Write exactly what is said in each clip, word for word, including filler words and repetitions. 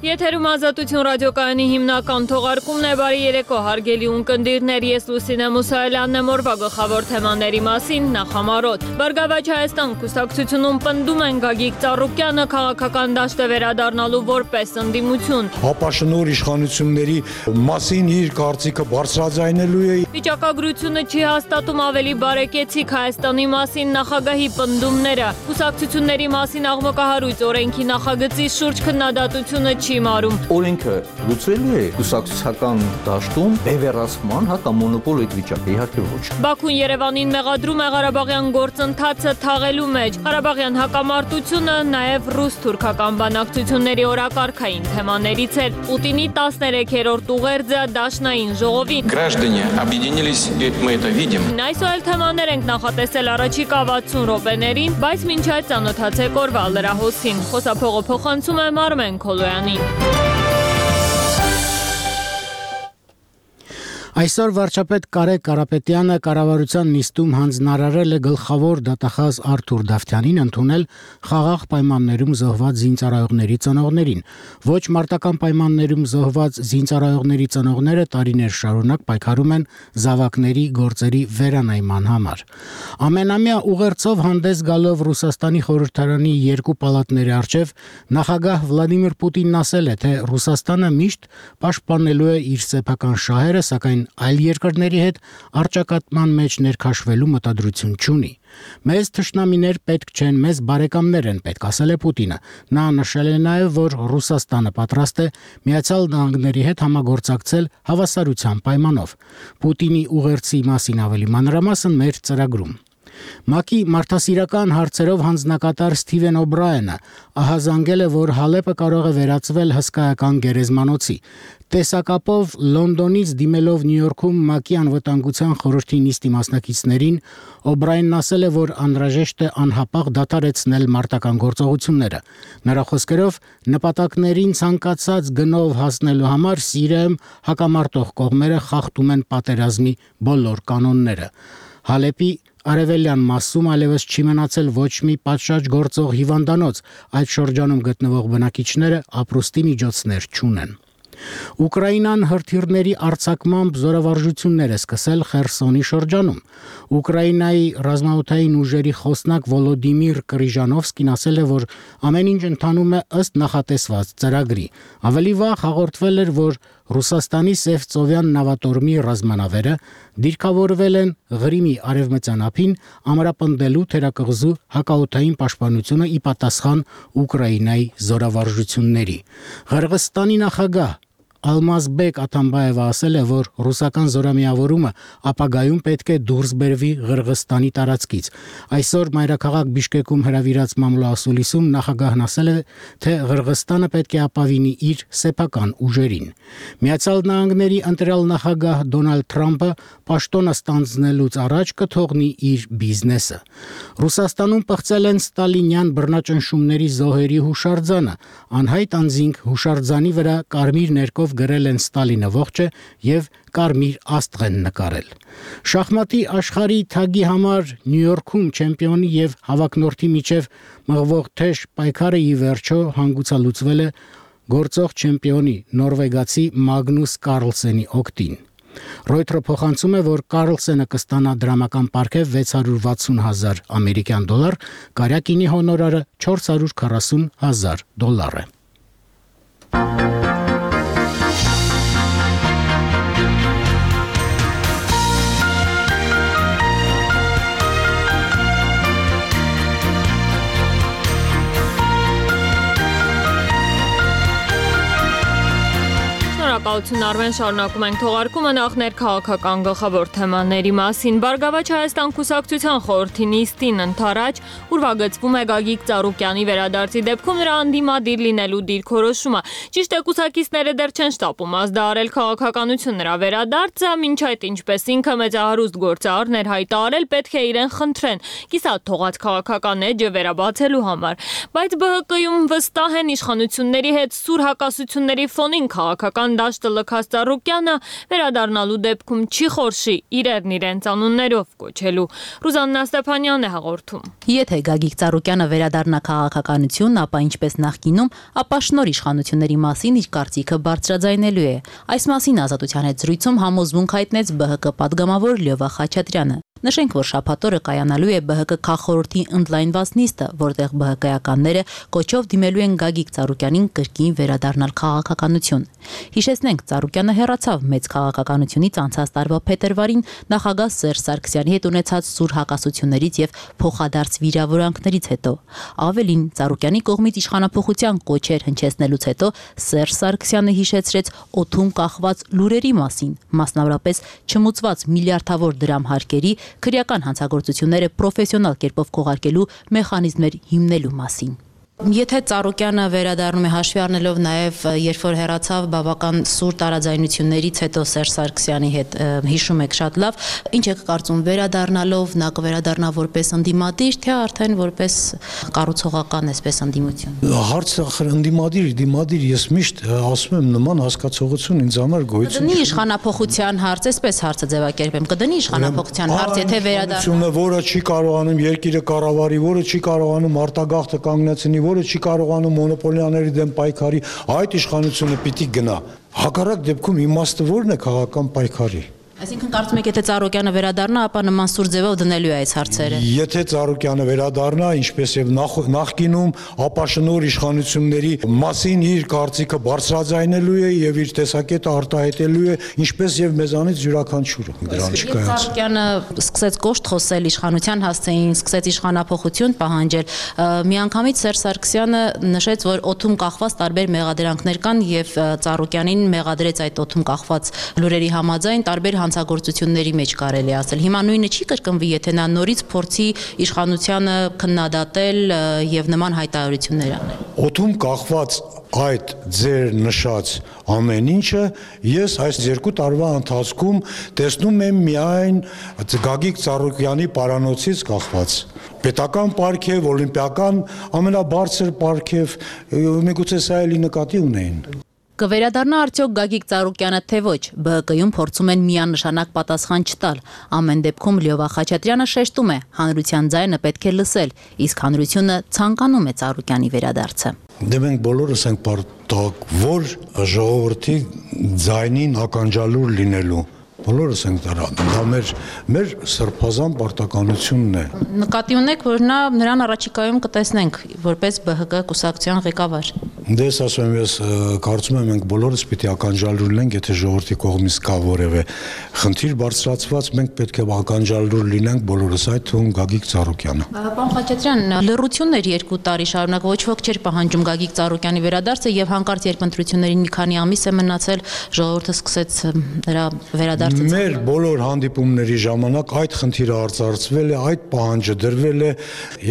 Եթերում Ազատություն ռադիոկայանի հիմնական թողարկումն է, բարի երեկո հարգելի ունկնդիրներ, ես Լուսինե Մուսայելյանն եմ, օրվա գլխավոր թեմաների մասին նախամարոտ։ Բարգավաճ Հայաստան կուսակցությունում պնդում են Գագիկ Ծառուկյանը քաղաքական դաշտ է վերադառնալու որպես ընդդիմություն։ Հապաշնոր իշխանությունների մասին իր կարծիքը բարձրաձայնելու է։ Վիճակագրությունը չի հաստատում ավելի բարեկեցիկ Հայաստանի մասին նախագահի պնդումները։ Կուսակցությունների մասին աղմկահարույց օրենքի նախագծի շուրջ քննադատությունը չի մարում։ Օրենքը լուծվելու է կուսակցական դաշտում բևեռացման, հա կամ մոնոպոլ այդ վիճակը, իհարկե ոչ։ Բաքուն Երևանին մեղադրում է Ղարաբաղյան գործընթացը թաղելու մեջ։ Ղարաբաղյան հակամարտությունը նաև ռուս-թուրքական բանակցությունների օրակարգային թեմաներից էր։ Պուտինի տասներեքերորդ ուղերձը դաշնային ժողովին։ Граждане объединились, и мы это видим։ Այսօր թեմաներ ենք նախատեսել առաջիկա վաթսուն րոպեներին, բայց մինչ այդ ծանոթացեք օրվա լրահոսին։ Խոսափողը փոխանցում է Մարմեն Քոլոյանին։ Այսօր վարչապետ Կարե Կարապետյանը կառավարության նիստում հանձնարարել է գլխավոր դատախազ Արթուր Դավթյանին ընդունել խաղաղ պայմաններում զոհված զինծառայողների ծնողներին։ Ոչ մարտական պայմաններում զոհված զինծառայողների ծնողները տարիներ շարունակ պայքարում են զավակների գործերի վերանայման համար։ Ամենամյա ուղերձով հանդես գալով Ռուսաստանի խորհրդարանի երկու պալատների առջև նախագահ Վլադիմիր Պուտինն ասել է, թե Ռուսաստանը միշտ պաշտպանելու է իր սեփական շահերը, սակայն այլ երկրների հետ առճակատման մեջ ներքաշվելու մտադրություն չունի։ Մեզ թշնամիներ պետք չեն, մեզ բարեկամներ են պետք, ասել է Պուտինը։ Նա նշել է նաև, որ Ռուսաստանը պատրաստ է Միացյալ Նահանգների հետ համագործակցել հավասարության պայմանով։ Պուտինի ուղերձի մասին ավելի մանրամասն մեր ծրագրում։ ՄԱԿ-ի մարդասիրական հարցերով հանձնակատար Սթիվեն Օբրայենը ահազանգել է, որ Հալեպը կարող է վերածվել հսկայական գերեզմանոցի։ Տեսակապով Լոնդոնից դիմելով Նյու Յորքում ՄԱԿ-ի անվտանգության խորհրդի նիստի մասնակիցներին Օբրայենն ասել է, որ անհրաժեշտ է անհապաղ դադարեցնել մարտական գործողությունները։ Նրա խոսքերով նպատակներին ցանկացած գնով հասնելու համար Սիրիայում հակամարտող կողմերը խախտում են պատերազմի բոլոր կանոնները։ Հալեպի Արևելյան մասում այլևս չի մնացել ոչ մի պատշաճ գործող հիվանդանոց, այդ շրջանում գտնվող բնակիչները ապրուստի միջոցներ չունեն։ Ուկրաինան հրթիռների արձակմամբ զորավարժություններ է սկսել Խերսոնի շրջանում։ Ուկրաինայի ռազմաօդային ուժերի խոսնակ Վոլոդիմիր Կրիժանովսկին ասել է, որ ամեն ինչ ընթանում է ըստ նախատեսված ծրագրի։ Ավելի վաղ հաղորդվել էր, որ Ռուսաստանի Սևծովյան նավատորմի ռազմանավերը դիրքավորվել են Ղրիմի արևմտյան ափին ամրապնդելու թերակղզու հակաօդային պաշտպանությունը ի պատասխան Ուկրաինայի զորավարժությունների։ Ղրղստանի նախագահ Ալմազբեկ Աթամբաևը ասել է, որ ռուսական զորամիավորումը ապագայում պետք է դուրս բերվի Ղրղստանի տարածքից։ Այսօր մայրաքաղաք Բիշկեկում հրավիրած մամլոասուլիսում նախագահն ասել է, թե Ղրղստանը պետք է ապավինի իր սեփական ուժերին։ Միացյալ Նահանգների ընտրյալ նախագահ Դոնալդ Թրամփը պաշտոնը ստանձնելուց առաջ կթողնի իր բիզնեսը։ Ռուսաստանում պղծել են ստալինյան բռնաճնշումների զոհերի հուշարձանը։ Անհայտ անձինք հուշարձանի վրա կարմիր ներկով գրել են Ստալինը ողջ է եւ կարմիր աստղ են նկարել։ Շախմատի աշխարհի թագի համար Նյու Յորքում չեմպիոնի եւ հավակնորդի միջև մղվող թեժ պայքարը ի վերջո հանգուցալուծվել է գործող չեմպիոնի նորվեգացի Մագնուս Կարլսենի օգտին։ Ռոյթերը փոխանցում է, որ Կարլսենը կստանա դրամական պարգև վեց հարյուր վաթսուն հազար ամերիկյան դոլար, կարյակինի հոնորարը չորս հարյուր քառասուն հազար դոլար է։ Շնորհակալություն Արմեն, շարունակում ենք թողարկումը նախ ներքաղաքական գլխավոր թեմաների մասին։ Բարգավաճ Հայաստան կուսակցության խորհրդի նիստին ընթരാճ ուրվագծվում է Գագիկ Ծառուկյանի վերադարձի դեպքում նրա անդիմադիր լինելու դիրքորոշումը։ Ճիշտ է, կուսակիցները դեռ չեն շտապում ազդարարել քաղաքականություն նրա վերադարձը, մինչ այդ ինչպես ինքը մեծահարուստ գործարարներ հայտարարել պետք է իրեն խնդրեն կիսատ թողած քաղաքական էջը վերաբացելու համար։ Բայց ԲՀԿ-ում վստահ են իշխանությունների հետ սուր հակասությունների ֆոնին քաղաքական դաշտը լքած Ծառուկյանը վերադառնալու դեպքում չի խորշի իրերն իրենց անուններով կոչելու։ Ռուզաննա Ստեփանյանն է հաղորդում։ Եթե Գագիկ Ծառուկյանը վերադառնա քաղաքականություն, ապա ինչպես նախկինում, ապա շնոր իշխանությունների մասին իր կարծիքը բարձրաձայնելու է։ Այս մասին Ազատության հետ զրույցում համոզմունք հայտնեց Բ Հ Կ պատգամավոր Լյովա Խաչատրյանը։ Նշենք, որ շաբաթօրը կայանալու է Բ Հ Կ քաղխորհրդի ընդլայնված նիստը, որտեղ Բ Հ Կ-ականները կոչով դիմելու են Գագիկ Ծառուկյանին կրկին վերադառնալ քաղաքականություն։ Հիշեցնենք, Ծառուկյանը հեռացավ մեծ քաղաքականությունից անցած տարվա փետրվարին նախագահ Սերժ Սարգսյանի հետ ունեցած սուր հակասություններից եւ փոխադարձ վիրավորանքներից հետո։ Ավելին, Ծառուկյանի կողմից իշխանափոխության կոչեր հնչեցնելուց հետո Սերժ Սարգսյանը հիշեցրեց օդում կախված լուրերի մասին, մասնավորապես չմուծված միլիարդավոր դրամ հարկերի քրեական հանցագործությունները պրոֆեսիոնալ կերպով քողարկելու մեխանիզմներ հիմնելու մասին։ Եթե Ծառուկյանը վերադառնում է հաշվի առնելով նաև երբ որ հեռացավ բավական սուր տարաձայնություններից հետո Սերժ Սարգսյանի հետ հիշում եք շատ լավ, ինչ եք կարծում վերադառնալով նա կվերադառնա որպես ընդդիմադիր, թե արդեն որպես կառուցողական այսպես ընդդիմություն։ Հարցը ընդդիմադիր, դիմադիր, ես միշտ ասում եմ նման հասկացողություն ինձ համար գոյություն Կդնի իշխանափոխության հարց, այսպես հարցը ձևակերպեմ, կդնի իշխանափոխության հարց, եթե վերադառնա, որը չի կարողանում երկիրը կառավարի, որը չի կարողանում արտագաղթը կանգնեցնի, որը չի կարողանում մոնոպոլիաների դեմ պայքարի, այդ իշխանությունը պիտի գնա։ Հակառակ դեպքում իմաստը ո՞րն է քաղաքական պայքարի։ Այսինքն կարծում եք, եթե Ծառուկյանը վերադառնա, ապա նման սուր ձևով դնելու է այս հարցերը։ Եթե Ծառուկյանը վերադառնա, ինչպես եւ նախկինում, ապա շնոր իշխանությունների մասին իր կարծիքը բարձրաձայնելու է եւ իր տեսակետը արտահայտելու է, ինչպես եւ մեզանից յուրաքանչյուրը։ Դրան չկայաց։ Ծառուկյանը սկսեց կոշտ խոսել իշխանության հասցեին, սկսեց իշխանափոխություն պահանջել։ Միանգամից Սերժ Սարգսյանը նշեց, որ օդում կախված տարբեր մեղադրանքներ կան եւ Ծառուկյանին մեղադրեց այդ օդում կախված լուրերի համաձայն տարբեր հանցագործությունների մեջ կարելի ասել։ Հիմա նույնը չի կրկնվի, եթե նա նորից փորձի իշխանությանը քննադատել եւ նման հայտարարություններ անել։ Օդում կախված այդ ձեր նշած ամեն ինչը ես այս երկու տարվա ընթացքում տեսնում եմ միայն Գագիկ Ծառուկյանի պարանոցից կախված։ Պետական պարգև, օլիմպիական ամենաբարձր պարգև, միգուցե սա էլի նկատի ունեին։ Կվերադառնա արդյոք Գագիկ Ծառուկյանը թե ոչ, Բ Հ Կ-ում փորձում են միանշանակ պատասխան չտալ։ Ամեն դեպքում Լյովա Խաչատրյանը շեշտում է, հանրության ձայնը պետք է լսել, իսկ հանրությունը ցանկանում է Ծառուկյանի վերադարձը։ Դե մենք բոլորս ենք պարտակ, որ ժողովրդի ձայնին ականջալուր լինելու։ Բոլորս ենք դրա, դա մեր մեր սրբազան պարտականությունն է։ Նկատի ունեք, որ նա նրան առաջիկայում կտեսնենք որպես Բ Հ Կ կուսակցության ղեկավար։ Դե ես ասում եմ, ես կարծում եմ մենք բոլորս պիտի ականջալուր լինենք, եթե ժողովրդի կողմից կա որևէ խնդիր բարձրացված, մենք պետք է ականջալուր լինենք բոլորս, այդ թվում Գագիկ Ծառուկյանը։ Պարոն Խաչատրյան, լռությունն էր երկու տարի շարունակ, ոչ ոք չէր պահանջում Գագիկ Ծառուկյանի վերադարձը եւ հանկարծ երբ ընտրություններին մի քանի ամիս է մնացել, ժողովուրդը սկսեց նրա վերադարձը։ Մեր բոլոր հանդիպումների ժամանակ այդ խնդիրը արծարծվել է, այդ պահանջը դրվել է,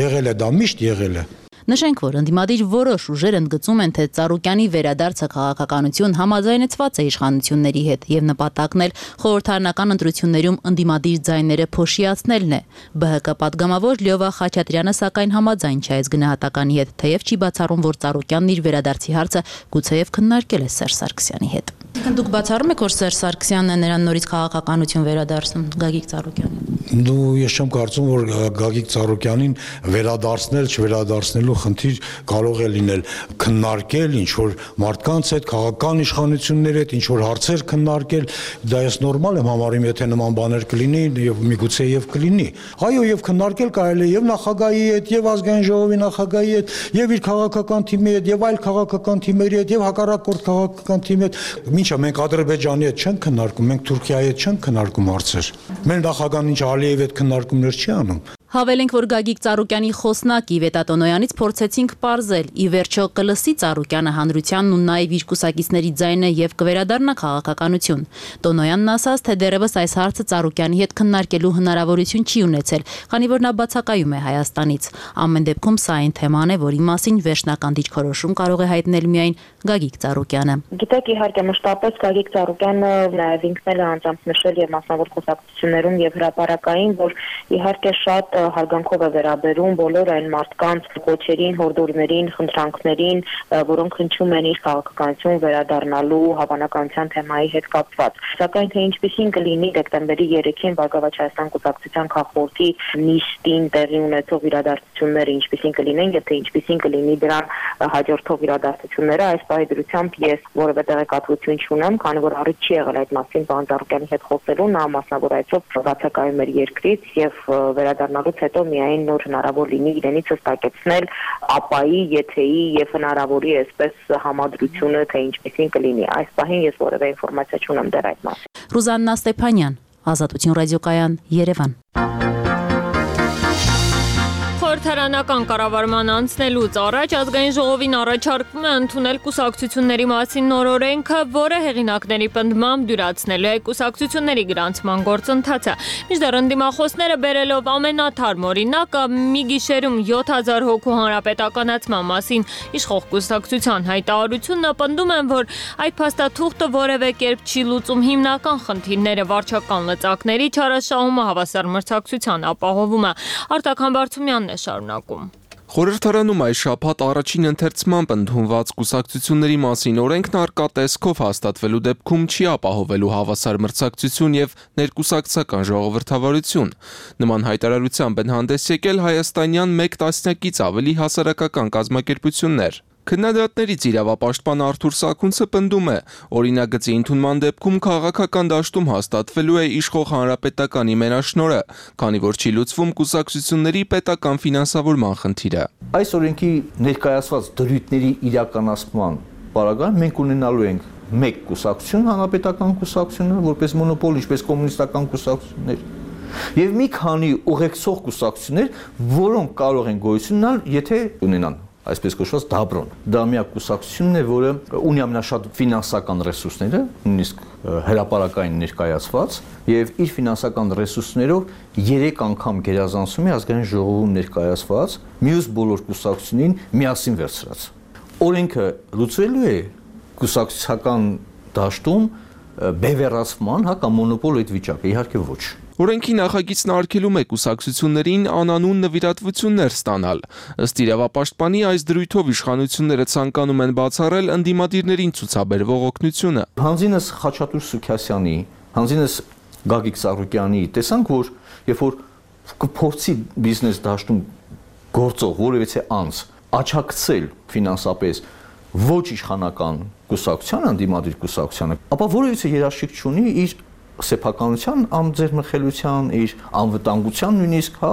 եղել է դա միշտ եղել է։ Նշենք, որ ընդդիմադիր որոշ ուժեր ընդգծում են, թե Ծառուկյանի վերադարձը քաղաքականություն համաձայնեցված է իշխանությունների հետ եւ նպատակն էլ խորհրդարանական ընտրություններում ընդդիմադիր ձայները փոշիացնելն է։ Բ Հ Կ պատգամավոր Լյովա Խաչատրյանը սակայն համաձայն չէ այս գնահատականի հետ, թեև չի բացառում, որ Ծառուկյանն իր վերադարձի հարցը գուցեև քննարկել է Սերժ Սարգսյանի հետ։ Դուք բացառում եք, որ Սերժ Սարգսյանն է նրան նորից քաղաքականություն վերադարձնում Գագիկ Ծառուկյանին։ Դու ես չեմ կարծում, որ Գագիկ Ծառուկյանին վերադարձնել, չվերադարձնելու խնդիր կարող է լինել, քննարկել ինչ որ մարդկանց հետ, քաղաքական իշխանությունների հետ ինչ որ հարցեր քննարկել, դա ես նորմալ եմ համարում, եթե նման բաներ կլինի եւ միգուցե եւ կլինի։ Այո, եւ քննարկել կարելի է եւ նախագահի հետ, եւ ազգային ժողովի նախագահի հետ, եւ իր քաղաքական թիմի հետ, եւ այլ քաղաքական թիմերի հետ, եւ հակառակորդ քաղաքական թիմի հետ։ Ինչա մենք Ադրբեջանի հետ չենք քննարկում, մենք Թուրքիայի հետ չենք քննարկում հարցեր։ Մեր նախագահն ինչ Ալիևի հետ քննարկումներ չի անում։ Հավելենք, որ Գագիկ Ծառուկյանի խոսնակ Իվետա Տոնոյանից փորձեցինք պարզել, ի վերջո կլսի Ծառուկյանը հանրությանն ու նաև իր կուսակիցների ձայնը եւ կվերադառնա քաղաքականություն։ Տոնոյանն ասաց, թե դեռևս այս հարցը Ծառուկյանի հետ քննարկելու հնարավորություն չի ունեցել, քանի որ նա բացակայում է Հայաստանից։ Ամեն դեպքում սա այն թեման է, որի մասին վերջնական դիրքորոշում կարող է հայտնել միայն Գագիկ Ծառուկյանը։ Գիտեք, իհարկե մշտապես Գագիկ Ծառուկյանը նաև ինքն էլ է անձամբ նշել եւ մասնավոր խոսակցություններում եւ հրապարակային, որ իհարկե շատ հարգանքով է վերաբերում բոլոր այն մարդկանց կոչերին, հորդորներին, խնդրանքներին, որոնք հնչում են իր քաղաքականություն վերադառնալու հավանականության թեմայի հետ կապված։ Սակայն թե ինչպիսին կլինի դեկտեմբերի երեքին Բարգավաճ Հայաստան կուսակցության քաղաքորդի նիստին տեղի ունեցող իրադարձությունները ինչպիսին կլինեն եւ թե ինչպիսին կլինի դրան հաջորդող իրադարձությունները, այս պահի դրությամբ ես որևէ տեղեկատվություն չունեմ, քանի որ առիթ չի եղել այդ մասին պարոն Ծառուկյանի հետ խոսելու, նա մասնավորայցով բացակայում էր երկրից եւ վերադառնալուց հետո միայն նոր հնարավոր լինի իրենից հստակեցնել ապայի, եթեի եւ հնարավորի այսպես համադրությունը, թե ինչպիսին կլինի։ Այս պահին ես որևէ ինֆորմացիա չունեմ դեռ այդ մասին։ Ռուզաննա Ստեփանյան, Ազատություն ռադիոկայան, Երևան։ Խորհրդարանական կառավարման անցնելուց առաջ ազգային ժողովին առաջարկվում է ընդունել կուսակցությունների մասին նոր օրենքը, որը հեղինակների պնդմամբ դյուրացնելու է կուսակցությունների գրանցման գործընթացը։ Մինչդեռ ընդդիմախոսները բերելով ամենաթարմ օրինակը մի գիշերում յոթ հազար հոգու հանրապետականացման մասին իշխող կուսակցության հայտարարությունը պնդում են, որ այդ փաստաթուղթը որևէ կերպ չի լուծում հիմնական խնդիրները վարչական լծակների չարաշահումը, հավասար մրցակցության ապահովումը։ Արտակ Համբարձումյանն է շարունակում։ Խորհրդարանում այս շաբաթ առաջին ընթերցմամբ ընդունված կուսակցությունների մասին օրենքն առկա տեսքով հաստատվելու դեպքում չի ապահովելու հավասար մրցակցություն եւ ներկուսակցական ժողովրդավարություն։ Նման հայտարարությամբ են հանդես եկել հայաստանյան մեկ տասնյակից ավելի հասարակական կազմակերպություններ։ Քննադատներից իրավապաշտպան Արթուր Սաքունցը պնդում է, օրինագծի ընդունման դեպքում քաղաքական դաշտում հաստատվելու է իշխող հանրապետականի մենաշնորհը, քանի որ չի լուծվում կուսակցությունների պետական ֆինանսավորման խնդիրը։ Այս օրենքի ներկայացված դրույթների իրականացման պարագայում մենք ունենալու ենք մեկ կուսակցություն, հանրապետական կուսակցությունը, որպես մոնոպոլ, ինչպես կոմունիստական կուսակցություններ, եւ մի քանի ուղեկցող կուսակցություններ, որոնք կարող են գոյություն ունենալ, եթե ունենան այսպես կոչված դաբրոն։ Դա միակ կուսակցությունն է, որը ունի ամենաշատ ֆինանսական ռեսուրսները, նույնիսկ հրապարակային ներկայացված, եւ իր ֆինանսական ռեսուրսներով երեք անգամ գերազանցում է ազգային ժողովում ներկայացված մյուս բոլոր կուսակցություններին միասին վերցրած։ Օրենքը լուծվելու է կուսակցական դաշտում բևեռացման, հա, կամ մոնոպոլ այդ վիճակը, իհարկե ոչ։ Օրենքի նախագիծն արգելում է կուսակցություններին անանուն նվիրատվություններ ստանալ։ Ըստ իրավապաշտպանի այս դրույթով իշխանությունները ցանկանում են բացառել ընդդիմադիրներին ցուցաբերվող օգնությունը։ Հանձինս Խաչատուր Սուքասյանի, հանձինս Գագիկ Ծառուկյանի տեսանք, որ երբ որ կփորձի բիզնես դաշտում գործող որևէ անձ աչակցել ֆինանսապես ոչ իշխանական կուսակցության, ընդդիմադիր կուսակցությանը, ապա որևէ երաշխիք չունի իր սեփականության, ամձերմխելության, իր անվտանգության նույնիսկ, հա,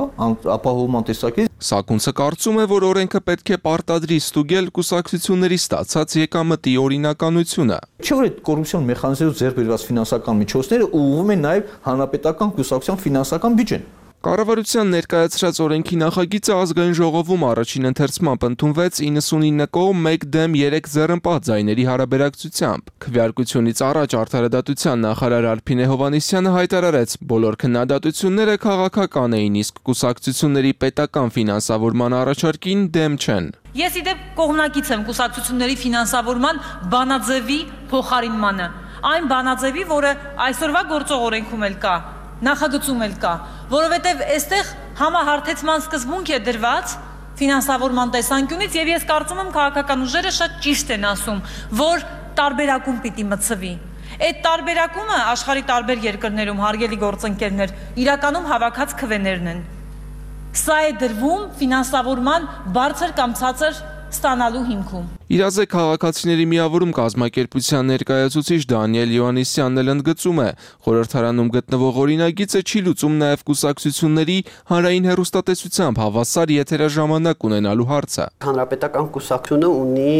ապահովման տեսակետից։ Սաքունցը կարծում է, որ օրենքը պետք է պարտադրի ստուգել կուսակցությունների ստացած եկամտի օրինականությունը։ Չէ՞ որ այդ կոռուպցիոն մեխանիզմով ձեռք բերված ֆինանսական միջոցները ուղղվում են նաև հանրապետական կուսակցության ֆինանսական բյուջեն։ Կառավարության ներկայացրած օրենքի նախագիծը ազգային ժողովում առաջին ընթերցմամբ ընդունվեց իննսունինը կողմ մեկ դեմ երեք ձեռնպահ ձայների հարաբերակցությամբ։ Քվեարկությունից առաջ Արդարադատության նախարար Արփինե Հովհաննիսյանը հայտարարեց, բոլոր քննադատությունները քաղաքական էին, իսկ կուսակցությունների պետական ֆինանսավորման առաջարկին դեմ չեն։ Ես իդեպ կողմնակից եմ կուսակցությունների ֆինանսավորման բանաձևի փոխարինմանը։ Այն բանաձևի, որը այսօրվա գործող օրենքում էլ կա, նախագծում էլ կա, որովհետև այստեղ համահարթեցման սկզբունք է դրված ֆինանսավորման տեսանկյունից եւ ես կարծում եմ քաղաքական ուժերը շատ ճիշտ են ասում, որ տարբերակում պիտի մտցվի։ Այդ տարբերակումը աշխարհի տարբեր երկրներում հարգելի գործընկերներ իրականում հավաքած քվեներն են։ Սա է դրվում ֆինանսավորման բարձր կամ ցածր ստանալու հիմքում։ Իրազե քաղաքացիների միավորում կազմակերպության ներկայացուցիչ Դանիել Յոհաննիսյանն էլ ընդգծում է, խորհրդարանում գտնվող օրինագիծը չի լուծում նաև կուսակցությունների հանրային հեռուստատեսությամբ հավասար եթերաժամանակ ունենալու հարցը։ Հանրապետական կուսակցությունը ունի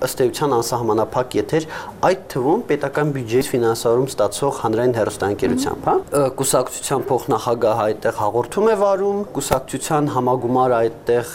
ըստ էության անսահմանափակ եթեր, այդ թվում պետական բյուջեից ֆինանսավորում ստացող հանրային հեռուստաընկերությամբ, հա։ Կուսակցության փոխնախագահը այդտեղ հաղորդում է վարում, կուսակցության համագումարը այդտեղ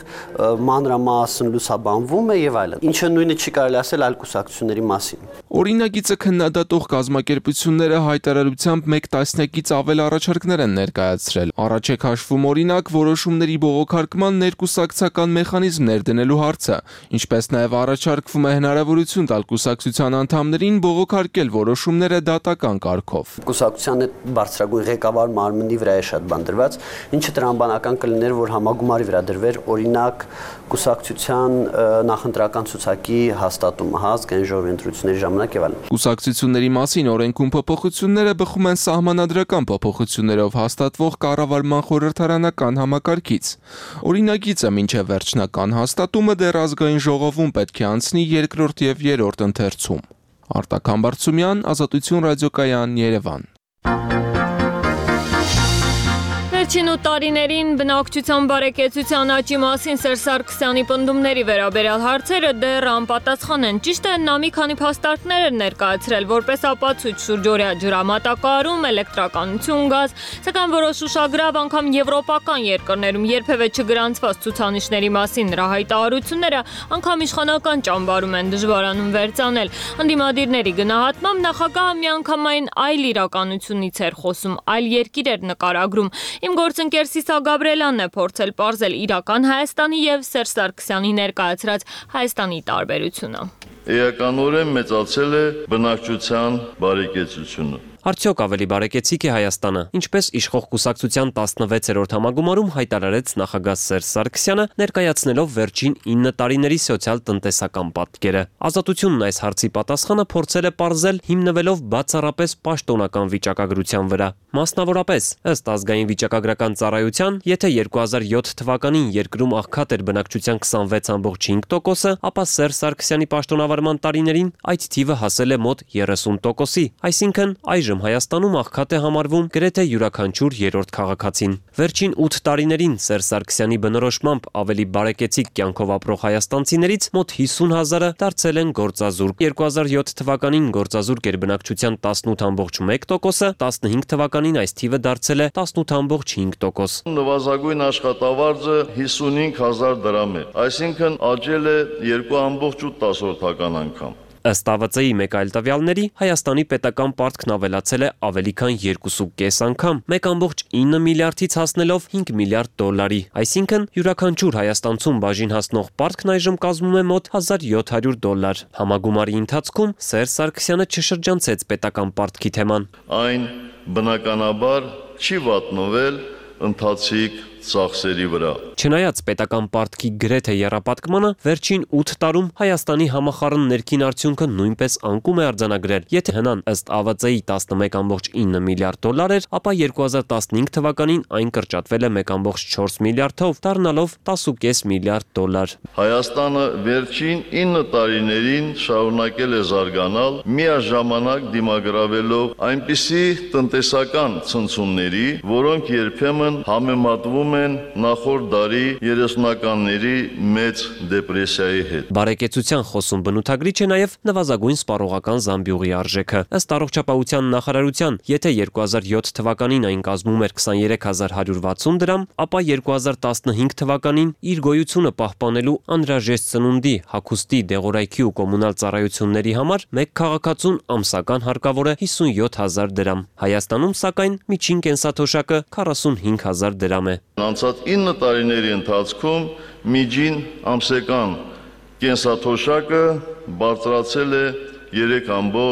մանրամասն լուսաբանվում է եւ այլն։ Ինչը նույնը չի կարելի ասել այլ կուսակցությունների մասին։ Օրինագիծը քննադատող կազմակերպությունները հայտարարությամբ մեկ տասնյակից ավել առաջարկներ են ներկայացրել։ Առաջ է քաշվում օրինակ որոշումների բողոքարկման ներկուսակցական մեխանիզմներ դնելու հարցը, ինչպես նաև առաջարկվում է հնարավորություն տալ կուսակցության անդամներին բողոքարկել որոշումները դատական կարգով։ Կուսակցության այդ բարձրագույն ղեկավար մարմնի վրա է շատ բան դրված, ինչը տրամաբանական կլիներ, որ համագումարի վրա դրվեր օրինակ կուսակցության նախընտրական ցուցակի հաստատումը, ազգային ժողովի ընտրությունների ժամանակ եւ այլն։ Կուսակցությունների մասին օրենքում փոփոխությունները բխում են սահմանադրական փոփոխություններով հաստատվող կառավարման խորհրդարանական համակարգից։ Օրինագիծը մինչև վերջնական հաստատումը դեռ ազգային ժողովում պետք է անցնի երկրորդ եւ երրորդ ընթերցում։ Արտակ Համբարձումյան, Ազատություն ռադիոկայան, Երևան։ Վերջին ու տարիներին բնակչության բարեկեցության աճի մասին Սերժ Սարգսյանի պնդումների վերաբերյալ հարցերը դեռ անպատասխան են։ Ճիշտ է, նա մի քանի փաստարկներ էր ներկայացրել որպես ապացույց շուրջօրյա ջրամատակարարում, էլեկտրականություն, գազ, սակայն որոշ ուշագրավ անգամ եվրոպական երկրներում երբևէ չգրանցված ցուցանիշների մասին նրա հայտարարությունները անգամ իշխանական ճամբարում են դժվարանում վերցանել։ Ընդդիմադիրների գնահատմամբ նախագահը միանգամայն այլ իրականությունից էր խոսում, այլ երկիր էր նկարագրում։ Իմ գործընկեր Սիսա Գաբրելյանն է փորձել պարզել իրական Հայաստանի եւ Սերժ Սարգսյանի ներկայացրած Հայաստանի տարբերությունը։ Էականորեն մեծացել է բնակչության բարեկեցությունը։ Արդյոք ավելի բարեկեցիկ է Հայաստանը, ինչպես իշխող կուսակցության տասնվեցերորդ համագումարում հայտարարեց նախագահ Սերժ Սարգսյանը, ներկայացնելով վերջին ինը տարիների սոցիալ-տնտեսական պատկերը։ Ազատությունն այս հարցի պատասխանը փորձել է պարզել հիմնվելով բացառապես պաշտոնական վիճակագրության վրա։ Մասնավորապես, ըստ ազգային վիճակագրական ծառայության, եթե երկու հազար յոթ թվականին երկրում աղքատ էր բնակչության քսանվեց կόμμα հինգ տոկոսը, ապա Սերժ Սարգսյանի պաշտոնավարման տարիներին այդ թիվը հասել է մոտ երեսուն տոկոսի, այսինքն այժմ Հայաստանում աղքատ է համարվում գրեթե յուրաքանչյուր երրորդ քաղաքացին։ Վերջին ութ տարիներին Սերժ Սարգսյանի բնորոշմամբ ավելի բարեկեցիկ կյանքով ապրող հայաստանցիներից մոտ հիսուն հազարը դարձել են գործազուրկ։ երկու հազար յոթ թվականին գործազուրկ էր բնակչության տասնութ կόμma մեկ տոկոսը, տասնհինգ թվականին այս թիվը դարձել է տասնութ կόμma հինգ տոկոս։ Նվազագույն աշխատավարձը հիսունհինգ հազար դրամ է, այսինքն աճել է երկու կόμma օգ անգամ։ Ըստ ԱՎԾ-ի մեկ այլ տվյալների, Հայաստանի պետական պարտքն ավելացել է ավելի քան երկու կես անգամ, մեկ կόμma ինը միլիարդից հասնելով հինգ միլիարդ դոլարի, այսինքն յուրաքանչյուր հայաստանցուն բաժին հասնող պարտքն այժմ կազմում է մոտ հազար յոթ հարյուր դոլար։ Համագումարի ընթացքում Սերժ Սարգսյանը չշրջանցեց պետական պարտքի թեման։ Այն բնականաբար չի վատնվել ընթացիկ ծախսերի վրա։ Չնայած պետական պարտքի գրեթե եռապատկմանը, վերջին ութ տարում Հայաստանի համախառն ներքին արդյունքը նույնպես անկում է արձանագրել։ Եթե հնան ըստ ԱՎԾ-ի տասնմեկ կόμma ինը միլիարդ դոլար էր, ապա երկու հազար տասնհինգ թվականին այն կրճատվել է մեկ կόμma չորս միլիարդով, դառնալով տասը կես միլիարդ դոլար։ Հայաստանը վերջին ինը տարիներին շարունակել է զարգանալ, միաժամանակ դիմագրավելով այնպիսի տնտեսական ցնցումների, որոնք երբեմն համեմատվում են նախորդ դարի երեսունականների մեծ դեպրեսիայի հետ։ Բարեկեցության խոսում բնութագրիչ է նաև նվազագույն սպառողական զամբյուղի արժեքը։ Ըստ առողջապահության նախարարության, եթե երկու հազար յոթ թվականին այն կազմում էր քսաներեք հազար հարյուր վաթսուն դրամ, ապա երկու հազար տասնհինգ թվականին իր գոյությունը պահպանելու անհրաժեշտ սնունդի, հագուստի, դեղորայքի ու կոմունալ ծառայությունների համար մեկ քաղաքացուն ամսական հարկավոր է հիսունյոթ հազար դրամ։ Հայաստանում, սակայն, միջին կենսաթոշակը քառասունհինգ հազար դրամ է։ Անցած ինը տարիների ընթացքում միջին ամսական կենսաթոշակը բարձրացել է երեք կόμma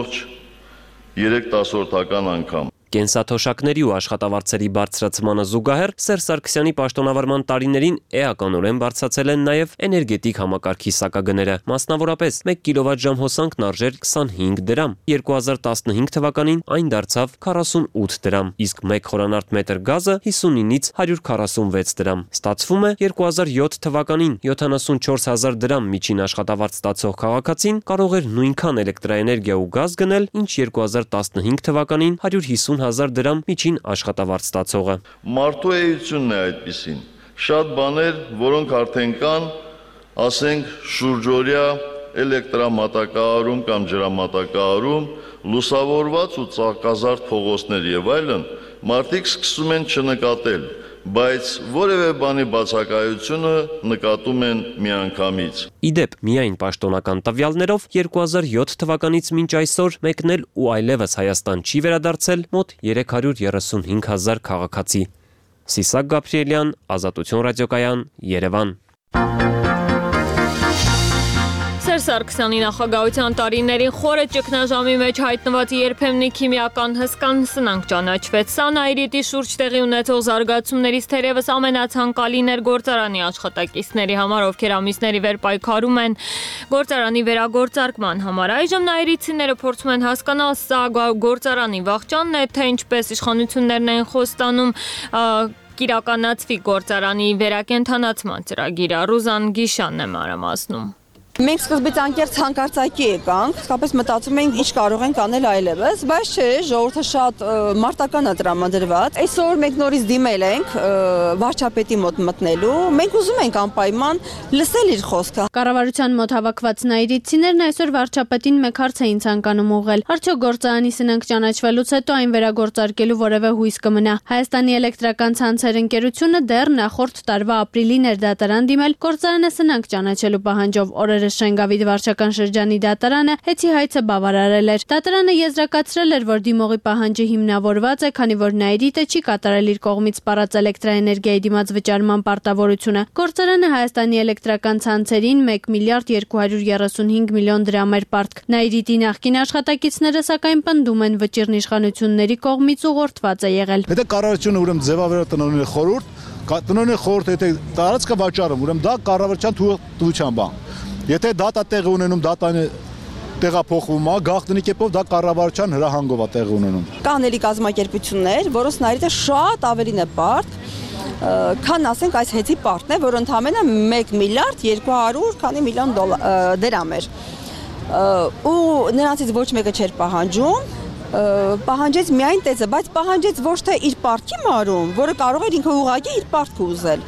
երեք անգամ։ Կենսաթոշակների ու աշխատավարձերի բարձրացմանը զուգահեռ Սերժ Սարգսյանի պաշտոնավարման տարիներին էականորեն բարձրացել են նաև էներգետիկ համակարգի սակագները։ Մասնավորապես մեկ կիլովատժամ հոսանքն արժեր քսանհինգ դրամ, երկու հազար տասնհինգ թվականին այն դարձավ քառասունութ դրամ, իսկ մեկ խորանարդ մետր գազը հիսունինից հարյուր քառասունվեց դրամ։ Ստացվում է երկու հազար յոթ թվականին յոթանասունչորս հազար դրամ միջին աշխատավարձ ստացող քաղաքացին կարող էր նույնքան էլեկտրաէներգիա ու գազ գնել, ինչ երկու հազար տասնհինգ թվականին հարյուր հիսուն հազար դրամ միջին աշխատավարձ ստացողը։ Մարդու էությունն է այդպիսին։ Շատ բաներ, որոնք արդեն կան, ասենք շուրջօրյա էլեկտրամատակարարում կամ ջրամատակարարում, լուսավորված ու ծաղկազարդ փողոցներ եւ այլն, մարդիկ սկսում են չնկատել։ բայց որևէ բանի բացակայությունը նկատում են միանգամից։ Իդեպ, միայն պաշտոնական տվյալներով երկու հազար յոթ թվականից մինչ այսօր մեկնել ու այլևս Հայաստան չի վերադարձել մոտ երեք հարյուր երեսունհինգ հազար քաղաքացի։ Սիսակ Գաբրիելյան, Ազատություն ռադիոկայան, Երևան։ Սերժ Սարգսյանի նախագահության տարիներին խորը ճգնաժամի մեջ հայտնված երբեմնի քիմիական հսկան սնանկ ճանաչվեց։ Սա Նայիրիտի շուրջ տեղի ունեցող զարգացումներից թերևս ամենացանկալին էր գործարանի աշխատակիցների համար, ովքեր ամիսների վեր պայքարում են գործարանի վերագործարկման համար։ Այժմ նայիրիտցիները փորձում են հասկանալ, սա գործարանի վախճանն է, թե ինչպես իշխանություններն են խոստանում կիրականացվի գործարանի վերակենդանացման ծրագիրը։ Ռուզան Գիշանն է մանրամասնում։ Մենք սկզբից անկեղծ հանկարծակի եկանք, իսկապես մտածում էինք ինչ կարող ենք անել այլևս, բայց չէ, ժողովուրդը շատ մարտական է տրամադրված։ Այսօր մենք նորից դիմել ենք վարչապետի մոտ մտնելու, մենք ուզում ենք անպայման լսել իր խոսքը։ Կառավարության մոտ հավաքված նայիրիտցիներն այսօր վարչապետին մեկ հարց էին ցանկանում ուղղել։ Արդյոք գործարանի սնանկ ճանաչվելուց հետո այն վերագործարկելու որևէ հույս կմնա։ Հայաստանի էլեկտրական ցանցեր ընկերությունը դեռ նախորդ տարվա ապրիլին էր դատարան դիմել գործարանը սնանկ ճանաչելու պահանջով։ Օրերը Շենգավիթ վարչական շրջանի դատարանը հեծի հայցը բավարարել էր։ Դատարանը եզրակացրել էր, որ դիմողի պահանջը հիմնավորված է, քանի որ Նայիրիտը չի կատարել իր կողմից սպառած էլեկտրաէներգիայի դիմաց վճարման պարտավորությունը։ Գործարանը Հայաստանի էլեկտրական ցանցերին մեկ միլիարդ երկու հարյուր երեսունհինգ միլիոն դրամ էր պարտք։ Նայիրիտի նախկին աշխատակիցները սակայն պնդում են վճիրն իշխանությունների կողմից ուղղորդված է եղել։ Եթե կառավարությունը ուրեմն ձևավորել տնօրենի խորհուրդ, տնօրենի խորհուրդը եթե տարածքը վաճառում, ուրեմն դա կառավարության թույլտվության բան։ Եթե դատա տեղի ունենում, դատան տեղափոխվում է, գաղտնի կերպով դա կառավարության հրահանգով է տեղի ունենում։ Կան էլի կազմակերպություններ, որոնց Նայիրիտը շատ ավելին է պարտ, քան ասենք այս հեծի պարտն է, որ ընդամենը մեկ միլիարդ երկու հարյուր քանի միլիոն դրամ էր։ Ու նրանցից ոչ մեկը չէր պահանջում, պահանջեց միայն տեզը, բայց պահանջեց ոչ թե իր պարտքի մարում, որը կարող էր ինքը ուղղակի իր պարտքը ուզել,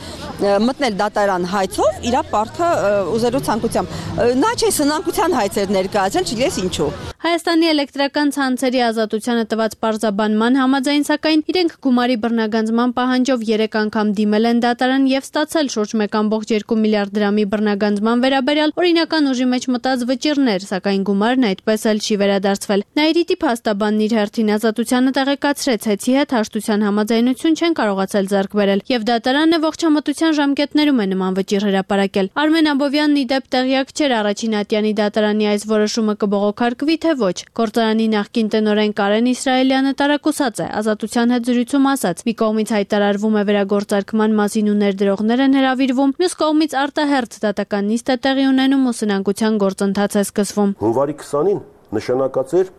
մտնել դատարան հայցով իր պարտքը ուզելու ցանկությամբ։ Նա չէ սնանկության հայցեր ներկայացրել, չգիտես ինչու։ Հայաստանի էլեկտրական ցանցերի ազատությանը տված պարզաբանման համաձայն, սակայն իրենք գումարի բռնագանձման պահանջով երեք անգամ դիմել են դատարան եւ ստացել շուրջ մեկ կόμ երկու միլիարդ դրամի բռնագանձման վերաբերյալ օրինական ուժի մեջ մտած վճիռներ, սակայն գումարն այդպես էլ չի վերադարձվել։ Նայիրիտի փաստաբանն իր հերթին ազատությանը տեղեկացրեց, հեծի հետ հաշտության համաձայնություն չեն կարողացել ձեռք բերել եւ դատարանը ողջամտության ժամկետներում է նման վճիռ հրապարակել։ Արմեն Աբովյանն ի դեպ տեղյակ չէր առաջին ատյանի դատարանի այս որոշումը կբողոքարկվի թե ոչ։ Գործարանի նախկին տնօրեն Կարեն Իսրայելյանը տարակուսած է, ազատության հետ զրույցում ասաց. մի կողմից հայտարարվում է վերագործարկման մասին ու ներդրողներ են հրավիրվում, մյուս կողմից արտահերթ դատական նիստ է տեղի ունենում ու սնանկության գործընթաց է սկսվում։ Հունվարի քսանին նշանակած էր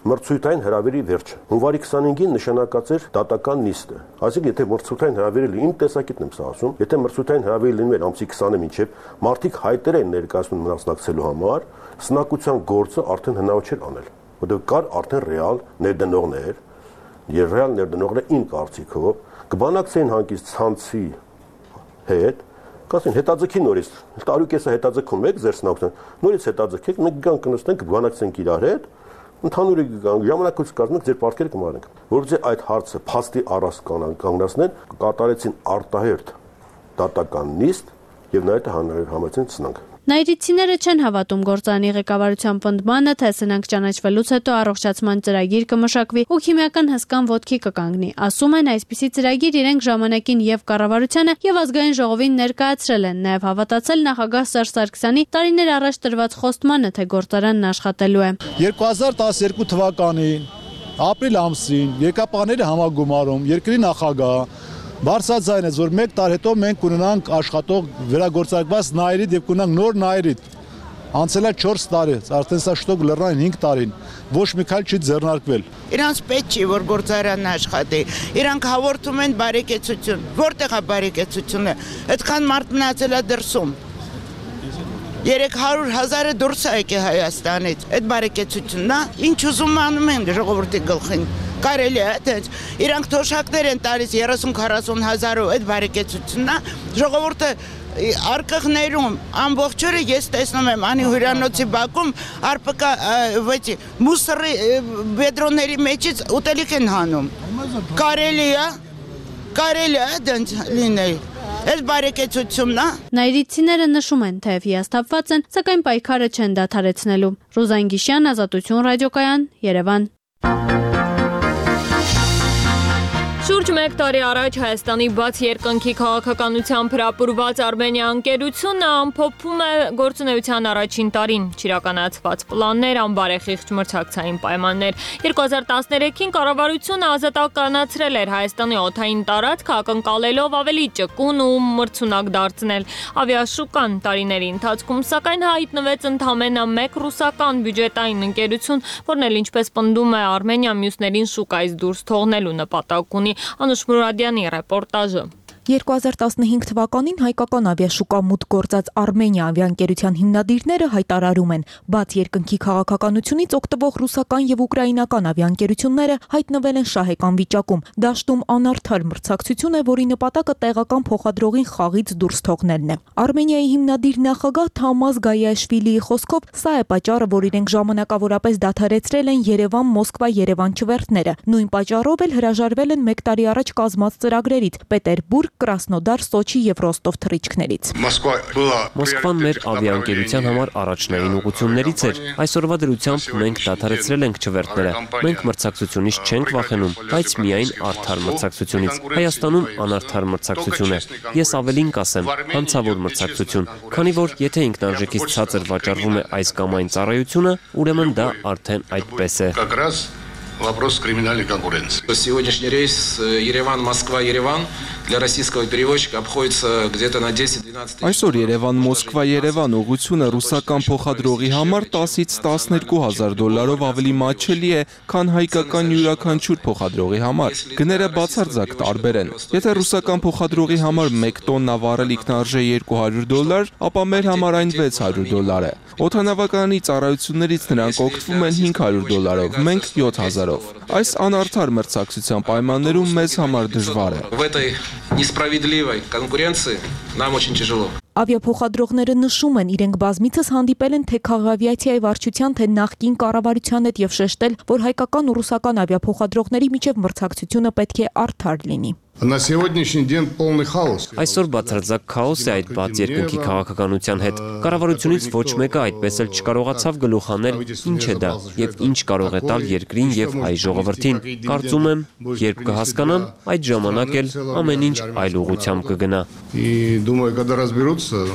մրցույթային հրավերի վերջը։ Հունվարի քսանհինգին նշանակած էր դատական նիստը։ Այսինքն, եթե մրցույթային հրավերը իմ տեսակետն եմ սա ասում, եթե մրցույթային հրավերը լինում էր ամսի քսանը մինչև մարդիկ հայտեր են ներկայացնում մասնակցելու համար, սնանկության գործը արդեն հնարավոր չէր անել, որովհետև կար արդեն ռեալ ներդնողներ, եւ ռեալ ներդնողները իմ կարծիքով կբանակցեին հանկից ցանցի հետ, կասեն հետաձգի նորից, տարուկեսը հետաձգում եք ձեր սնանկության, նորից հետաձգեք, մենք գանք կնստենք, կբանակցենք իրար հետ, ընդհանուր ժամանակից կազմենք ձեր պարտքերը կմարենք, որովհետեւ այդ հարցը փաստի առած կանգնացնեն, կատարեցին արտահերթ դատական նիստ եւ նաեւ համեցին սնանկ։ Նայիրիտցիները չեն հավատում գործարանի ղեկավարության պնդմանը, թե սնանկ ճանաչվելուց հետո առողջացման ծրագիր կմշակվի ու քիմիական հսկան ոտքի կկանգնի։ Ասում են, այսպիսի ծրագիր իրենք ժամանակին եւ կառավարությանը եւ ազգային ժողովին ներկայացրել են, նաեւ հավատացել նախագահ Սերժ Սարգսյանի տարիներ առաջ տրված խոստմանը, թե գործարանն աշխատելու է։ երկու հազար տասներկու թվականին ապրիլ ամսին եկապանների համագումարում երկրի նախագահ բարձրաձայնեց, որ մեկ տարի հետո մենք կունենանք աշխատող վերագործարկված Նայիրիտ եւ կունենանք նոր Նայիրիտ։ Անցել է չորս տարի, արդեն սա շտոկ լեռնային հինգ տարին, ոչ մի քայլ չի ձեռնարկվել։ Իրանց պետք չի, որ գործարանն աշխատի։ Իրանք հաղորդում են բարեկեցություն։ Որտեղ է բարեկեցությունը։ Այդքան մարդ մնացել է դրսում։ երեք հարյուր հազարը դուրս է եկել Հայաստանից։ Այդ բարեկեցությունն է, ինչ ուզում անում են ժողովրդի գլխին։ Կարելի է, թե իրանք թոշակներ են տալիս երեսուն քառասուն հազարով այդ բարեկեցությունն է, ժողովուրդը արկղներում ամբողջ օրը ես տեսնում եմ անի հյուրանոցի բակում արպկա վեցի մուսրի բեդրոնների մեջից ուտելիք են հանում։ Կարելի է, Կարելի է դենց լինել։ Այս բարեկեցությունն է։ Նայրիցիները նշում են, թե հիասթափված են, սակայն պայքարը չեն դադարեցնելու։ Ռոզան Գիշյան, Ազատություն ռադիոկայան, Երևան։ Շուրջ մեկ տարի առաջ Հայաստանի բաց երկնքի քաղաքականությամբ հրապուրված Արմենիա ընկերությունը ամփոփում է գործունեության առաջին տարին, չիրականացված պլաններ, անբարեխիղճ մրցակցային պայմաններ։ երկու հազար տասներեքին կառավարությունը ազատականացրել էր Հայաստանի օդային տարածքը, ակնկալելով ավելի ճկուն ու մրցունակ դարձնել ավիաշուկան տարիների ընթացքում, սակայն հայտնվեց ընդամենը մեկ ռուսական բյուջետային ընկերություն, որն էլ ինչպես պնդում է Արմենիա, մյուսներին շուկայից դուրս թողնելու նպատակ ունի։ Անուշ Մուրադյանի ռեպորտաժը։ երկու հազար տասնհինգ թվականին հայկական ավիաշուկա մուտք գործած Արմենիա ավիաընկերության հիմնադիրները հայտարարում են, բաց երկնքի քաղաքականությունից օգտվող ռուսական եւ ուկրաինական ավիաընկերությունները հայտնվել են շահեկան վիճակում։ Դաշտում անարդար մրցակցություն է, որի նպատակը տեղական փոխադրողին խաղից դուրս թողնելն է։ Արմենիայի հիմնադիր նախագահ Թամաս Գայաշվիլիի խոսքով, սա է պատճառը, որ իրենք ժամանակավորապես դադարեցրել են Երևան-Մոսկվա-Երևան չվերթները։ Նույն պատճառով էլ հրաժարվել են մեկ տարի առաջ կազմած ծրագրերից՝ Պետերբուրգ, Կրասնոդար, Սոչի եւ Ռոստով թռիչքներից։ Մոսկվան մեր ավիաընկերության համար առաջնային ուղղություններից էր։ Այսօրվա դրությամբ մենք դադարեցրել ենք չվերթները։ Մենք մրցակցությունից չենք վախենում, բայց միայն արդար մրցակցությունից։ Հայաստանում անարդար մրցակցություն է։ Ես ավելին կասեմ, հանցավոր մրցակցություն, քանի որ եթե ինքնարժեքից ցածր վաճառվում է այս կամ այն ծառայությունը, ուրեմն դա արդեն այդպես է։ Вопрос криминальной конкуренции. Сегодняшний рейс Ереван-Москва-Ереван для российского перевозчика обходится где-то на десять-двенадцать тысяч. Այսօր Երևան-Մոսկվա-Երևան ուղղությունը ռուսական փոխադրողի համար տասից տասներկու հազար դոլարով ավելի մատչելի է, քան հայկական յուրաքանչյուր փոխադրողի համար։ Գները բացարձակ տարբեր են։ Եթե ռուսական փոխադրողի համար մեկ տոննա վառելիքն արժե երկու հարյուր դոլար, ապա մեր համար այն վեց հարյուր դոլար է։ Օդանավականի ծառայություններից նրանք օգտվում են հինգ հարյուր դոլարով, մենք յոթ հազարով։ Այս անարդար մրցակցության պայմաններում մեզ համար դժվար է։ В этой несправедливой конкуренции нам очень тяжело. Ավիափոխադրողները նշում են, իրենք բազմիցս հանդիպել են թե քաղավիացիայի վարչության, թե նախկին կառավարության հետ եւ շեշտել, որ հայկական ու ռուսական ավիափոխադրողների միջև մրցակցությունը պետք է արդար լինի։ На сегодняшний день полный хаос. Այսօր բացարձակ քաոս է այդ բաց երկնքի քաղաքականության հետ։ Կառավարությունից ոչ մեկը այդպես էլ չկարողացավ գլուխ հանել ինչ է դա եւ ինչ կարող է տալ երկրին եւ հայ ժողովրդին։ Կարծում եմ, երբ կհասկանան, այդ ժամանակ էլ ամեն ինչ այլ ուղղությամբ կգնա։ И думаю, когда разберутся,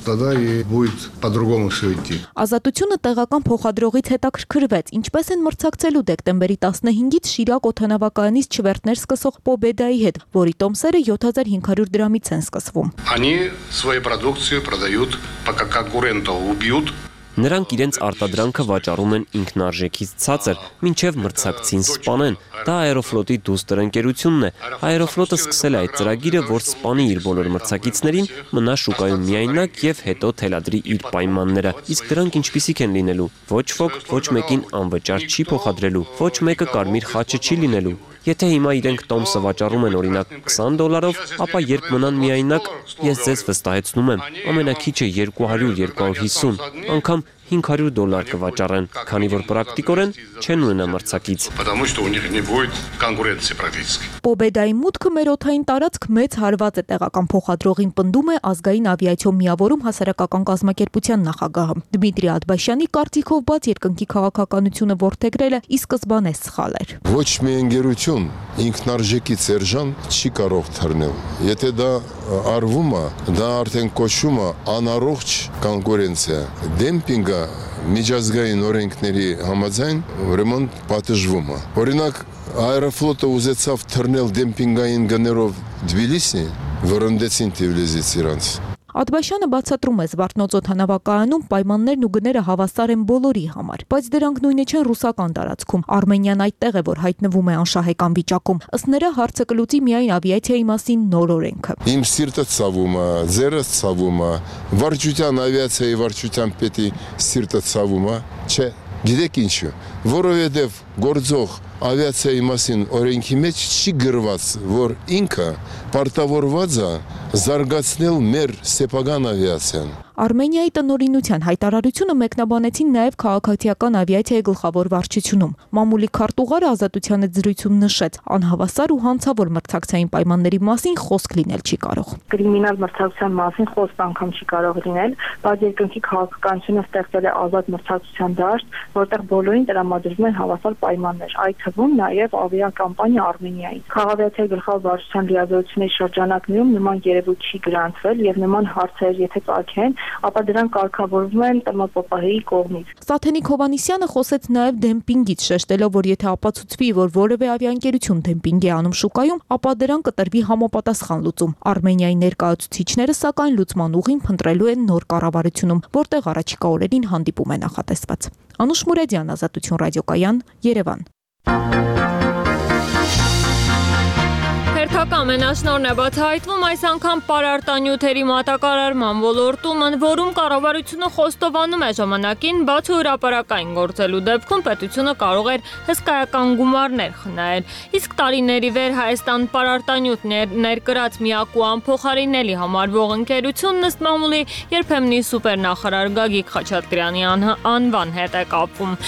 тогда и будет по-другому все идти. Ազատությունը տեղական փոխադրողից հետաքրքրվեց, ինչպես են մրցակցելու դեկտեմբերի տասնհինգից Շիրակ օդանավակայանից չվերթներ սկսող Պոբեդայի հետ, որի տոմսերը յոթ հազար հինգ հարյուր դրամից են սկսվում։ Они свою продукцию продают, пока конкурентов убьют. Նրանք իրենց արտադրանքը վաճառում են ինքնարժեքից ցածր, մինչև մրցակցին սպանեն։ Դա Aeroflot-ի դուստր ընկերությունն է։ Aeroflot-ը սկսել է այդ ծրագիրը, որ սպանի իր բոլոր մրցակիցներին, մնա շուկայում միայնակ եւ հետո թելադրի իր պայմանները։ Իսկ դրանք ինչպիսիք են լինելու։ Ոչ ոք ոչ մեկին անվճար չի փոխադրելու, ոչ մեկը կարմիր խաչը չի լինելու։ Եթե հիմա իրենք տոմսը վաճառում են օրինակ քսան դոլարով, ապա երբ մնան միայնակ, ես ձեզ վստահեցնում եմ, ամենակիչը երկու հարյուր երկու հարյուր հիսուն, անգամ հինգ հարյուր դոլար կվաճառեն, քանի որ պրակտիկորեն չեն ունենա մրցակից։ Потому что у них не будет конкуренции практически. Պոբեդայի մուտքը մեր օդային տարածք մեծ հարված է տեղական փոխադրողին, պնդում է ազգային ավիացիոն միավորում հասարակական կազմակերպության նախագահը։ Դմիտրի Ադբաշյանի կարծիքով բաց երկնքի քաղաքականությունը ворթեգրելը ի սկզբանե սխալ էր։ Ոչ մի ընկերություն ինքնարժեքի սերժան չի կարող թռնել։ Եթե դա արվում է, դա արդեն կոչվում է անառողջ կոնկուրենցիա, դեմպինգը միջազգային օրենքների համաձայն ուրեմն պատժվում է։ Օրինակ Aeroflot-ը ուզեցավ թռնել դեմպինգային գներով Թբիլիսի, վրընդեցին Թբիլիսից իրանց։ Ադբաշյանը բացատրում է Զվարթնոց օդանավակայանում պայմաններն ու գները հավասար են բոլորի համար, բայց դրանք նույնը չեն ռուսական տարածքում։ Արմենիան այդտեղ է, որ հայտնվում է անշահեկան վիճակում։ Ըստ նրա հարցը կլուծի միայն ավիացիայի մասին նոր օրենքը։ Իմ սիրտը ցավում է, ձերս ցավում է, վարչության ավիացիայի վարչության պետի սիրտը ցավում է, չէ։ Գիտեք ինչու, որովհետև գործող ավիացիայի մասին օրենքի մեջ չի գրված, որ ինքը պարտավորված է զարգացնել մեր սեփական ավիացիան։ Արմենիայի տնօրինության հայտարարությունը մեկնաբանեցին նաև քաղաքացիական ավիացիայի գլխավոր վարչությունում։ Մամուլի քարտուղարը Ազատությանը զրույցում նշեց, անհավասար ու հանցավոր մրցակցային պայմանների մասին խոսք լինել չի կարող։ Կրիմինալ մրցակցության մասին խոսք անգամ չի կարող լինել, բայց երկնքի քաղաքականությունը ստեղծել է ազատ մրցակցության դաշտ, որտեղ բոլորին տրամադրվում են հավասար պայմաններ, այդ թվում նաև ավիակամպանիա Արմենիայի։ Քաղաքացիայի գլխավոր վարչության լիազորությունների շրջանակներում նման երևույթ չի գրանցվել եւ նման հարցեր եթե ծագեն, ապա դրանք կարգավորվում են ՏՄՊՊՀ-ի կողմից։ Սաթենիկ Հովանիսյանը խոսեց նաև դեմպինգից, շեշտելով, որ եթե ապացուցվի, որ որևէ ավիաընկերություն դեմպինգ է անում շուկայում, ապա դրան կտրվի համապատասխան լուծում։ Արմենիայի ներկայացուցիչները սակայն լուծման ուղին փնտրելու են նոր կառավարությունում, որտեղ առաջիկա օրերին հանդիպում է նախատեսված։ Անուշ Մուրադյան, Ազատություն ռադիոկայան, Երևան։ Հերթական մենաշնորհն է բացահայտվում այս անգամ պարարտանյութերի մատակարարման ոլորտում, ընդ որում կառավարությունը խոստովանում է ժամանակին, բացի հրապարակային գործելու դեպքում պետությունը կարող էր հսկայական գումարներ խնայել։ Իսկ տարիների վեր Հայաստան պարարտանյութ ներկրած միակ ու անփոխարինելի համարվող ընկերությունն ըստ մամուլի երբեմնի սուպերնախարար Գագիկ Խաչատրյանի անվան հետ է կապվում։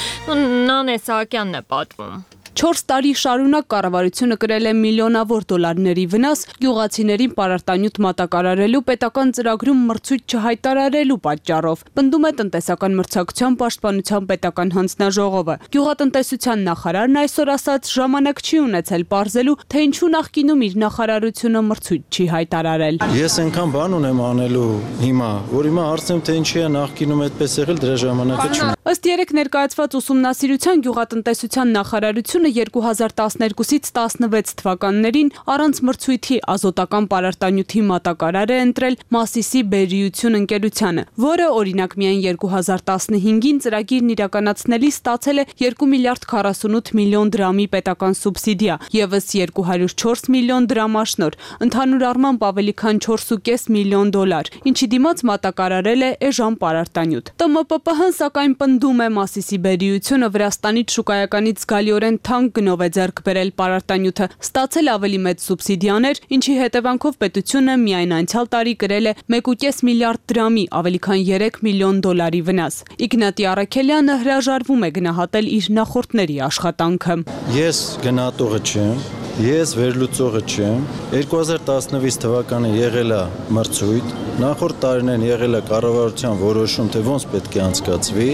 Նանե Սահակյանն է պատմում։ Չորս տարի շարունակ կառավարությունը կրել է միլիոնավոր դոլարների վնաս գյուղացիներին պարարտանյութ մատակարարելու պետական ծրագրում մրցույթ չհայտարարելու պատճառով, պնդում է տնտեսական մրցակցության պաշտպանության պետական հանձնաժողովը։ Գյուղատնտեսության նախարարն այսօր ասաց, ժամանակ չի ունեցել պարզելու, թե ինչու նախկինում իր նախարարությունը մրցույթ չի հայտարարել։ Ես այնքան բան ունեմ անելու հիմա, որ հիմա հարցնեմ, թե ինչի է նախկինում այդպես եղել, դրա ժամանակը չունեմ։ Ըստ երեք ներկայացված ուսումնասիրության գյուղատնտեսության նախարարությունը երկու հազար տասներկուսից տասնվեց թվականներին առանց մրցույթի ազոտական պարարտանյութի մատակարար է ընտրել Մասիսի բերիություն ընկերությանը, որը օրինակ միայն երկու հազար տասնհինգին ծրագիրն իրականացնելիս ստացել է երկու միլիարդ քառասունութ միլիոն դրամի պետական սուբսիդիա, ևս երկու հարյուր չորս միլիոն դրամաշնոր, ընդհանուր առմամբ ավելի քան չորս ու կես միլիոն դոլար, ինչի դիմաց մատակարարել է էժան պարարտանյութ։ ՏՄՊՊՀ-ն սակայն պնդում է Մասիսի բերիությունը Վրաստանից շուկայականից զգալիորեն թանկ գնով է ձեռք բերել պարարտանյութը, ստացել ավելի մեծ սուբսիդիաներ, ինչի հետևանքով պետությունը միայն անցյալ տարի կրել է մեկ ու կես միլիարդ դրամի, ավելի քան երեք միլիոն դոլարի վնաս։ Իգնատի Առաքելյանը հրաժարվում է գնահատել իր նախորդների աշխատանքը։ Ես գնահատողը չեմ, ես վերլուծողը չեմ։ երկու հազար տասնվեց թվականին եղել է մրցույթ, նախորդ տարիներին եղել է կառավարության որոշում, թե ոնց պետք է անցկացվի։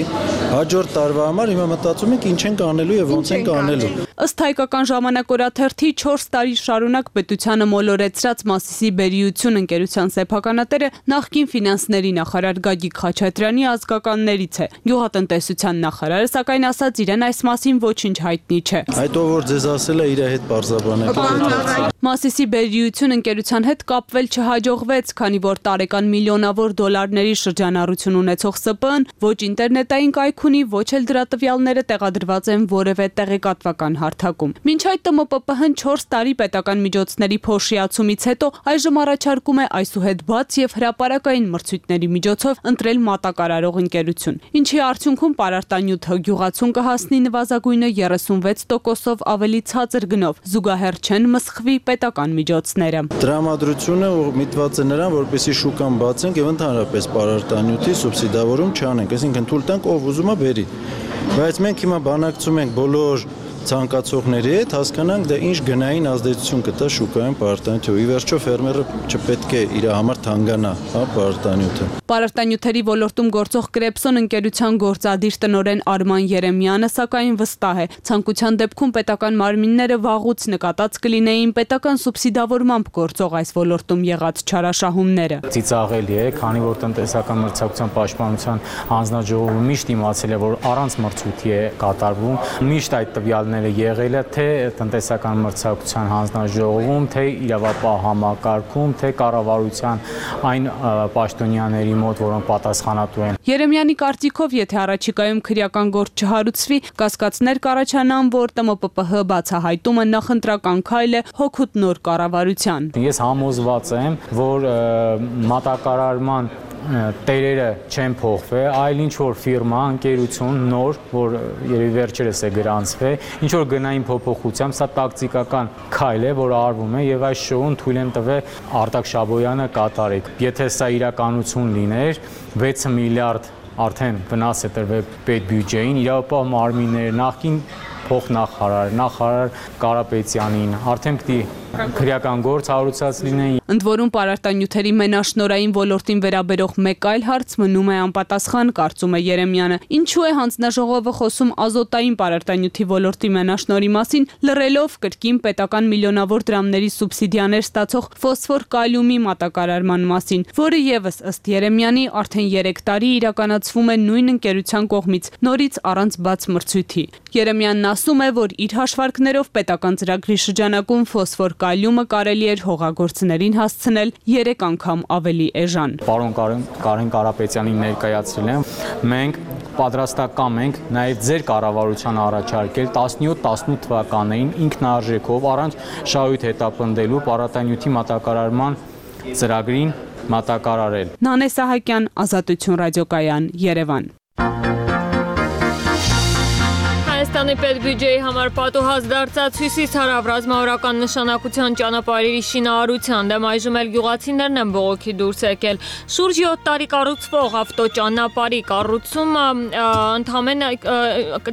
Հաջորդ տարվա համար հիմա մտածում ենք ինչ ենք անելու եւ ոնց ենք անելու։ Ըստ հայկական ժամանակօրաթերթի չորս տարի շարունակ պետությանը մոլորեցրած Մասիսի բերիություն ընկերության սեփականատերը նախկին ֆինանսների նախարար Գագիկ Խաչատրյանի ազգականներից է։ Գյուղատնտեսության նախարարը սակայն ասաց իրեն այս մասին ոչինչ հայտնի չէ։ Այդ ով որ ձեզ ասել է իր հետ բարձրաբանեք։ Մասիսի բերիություն ընկերության հետ կապվել չհաջողվեց, քանի որ տարեկան միլիոնավոր դոլարների շրջանառություն ունեցող ՍՊԸ-ն ոչ ինտերնետային կայք ունի, ոչ էլ դրա տվյալները տեղադրված են որևէ տեղեկատվական հարթակում։ Մինչ այդ ՏՄՊՊՀ-ն չորս տարի պետական միջոցների փոշիացումից հետո այժմ առաջարկում է այսուհետ բաց եւ հրապարակային մրցույթների միջոցով ընտրել մատակարարող ընկերություն, ինչի արդյունքում պարարտանյութը գյուղացուն կհասնի նվազագույնը երեսունվեց տոկոսով ավելի ցածր գնով, զուգահեռ չեն մսխվի պետական միջոցները։ Տրամադրությունը միտված է նրան, որպեսզի շուկան բացենք եւ ընդհանրապես պարարտանյութի սուբսիդավորում չանենք, այսինքն թույլ տանք ով ուզում է բերի։ Բայց մենք հիմա բանակցում ենք բոլոր ցանկացողների հետ, հասկանանք դա ինչ գնային ազդեցություն կտա շուկայում պարարտանյութը։ Ի վերջո ֆերմերը չպետք է իր համար թանկանա, հա, պարարտանյութը։ Պարարտանյութերի ոլորտում գործող Կրեպսոն ընկերության գործադիր տնօրեն Արման Երեմյանը սակայն վստահ է, ցանկության դեպքում պետական մարմինները վաղուց նկատած կլինեին պետական սուբսիդավորմամբ գործող այս ոլորտում եղած չարաշահումները։ Ծիծաղելի է, քանի որ տնտեսական մրցակցության պաշտպանության հանձնաժողովը միշտ իմացել է, որ առանց մրցույթի է կատարվում, միշտ այդ տվյալները եղել է թե տնտեսական մրցակցության հանձնաժողովում, թե իրավապահ համակարգում, թե կառավարության այն պաշտոնյաների մոտ, որոնք պատասխանատու են։ Երեմյանի կարծիքով, եթե առաջիկայում քրեական գործ չհարուցվի, կասկածներ կառաջանան, որ ՏՄՊՊՀ բացահայտումը նախընտրական քայլ է հօգուտ նոր կառավարության։ Ես համոզված եմ, որ մատակարարման տերերը չեն փոխվել, այլ ինչ որ ֆիրմա, ընկերություն նոր, որ երևի վերջերս է գրանցվել, ինչ որ գնային փոփոխությամբ, սա տակտիկական քայլ է, որ արվում է եւ այս շոուն թույլ են տվել Արտակ Շաբոյանը կատարի։ Եթե սա իրականություն լիներ, վեց միլիարդ արդեն վնաս է տրվել պետբյուջեին, իրավապահ մարմիններ, նախկին փոխնախարար, նախարար Կարապետյանին, արդեն պիտի քրեական գործ հարուցած լինեն։ Ընդ որում պարարտանյութերի մենաշնորհային ոլորտին վերաբերող մեկ այլ հարց մնում է անպատասխան, կարծում է Երեմյանը։ Ինչու է հանձնաժողովը խոսում ազոտային պարարտանյութի ոլորտի մենաշնորհի մասին, լռելով կրկին պետական միլիոնավոր դրամների սուբսիդիաներ ստացող ֆոսֆոր կալիումի մատակարարման մասին, որը եւս ըստ Երեմյանի արդեն երեք տարի իրականացվում է նույն ընկերության կողմից, նորից առանց բաց մրցույթի։ Երեմյանն ասում է, որ իր հաշվարկներով պետական ծրագրի շրջանակում ֆոսֆոր կալիումը կարելի էր հողագործներին հասցնել երեք անգամ ավելի էժան։ Պարոն Կարեն Կարապետյանին ներկայացրել եմ, մենք պատրաստական ենք նաև ձեր կառավարության առաջարկել տասնյոթ տասնութ թվականներին ինքնարժեքով առանց շահույթ հետապնդելու պարարտանյութի մատակարարման ծրագրին մատակարարել։ Նանե Սահակյան, Ազատություն ռադիոկայան, Երևան։ Հայաստանի պետբյուջեի համար պատուհաս դարձած հյուսիս-հարավ ռազմավարական նշանակության ճանապարհերի շինարարության դեմ այժմ էլ գյուղացիներն են բողոքի դուրս եկել։ Շուրջ յոթ տարի կառուցվող ավտոճանապարհի կառուցումը ընդամենը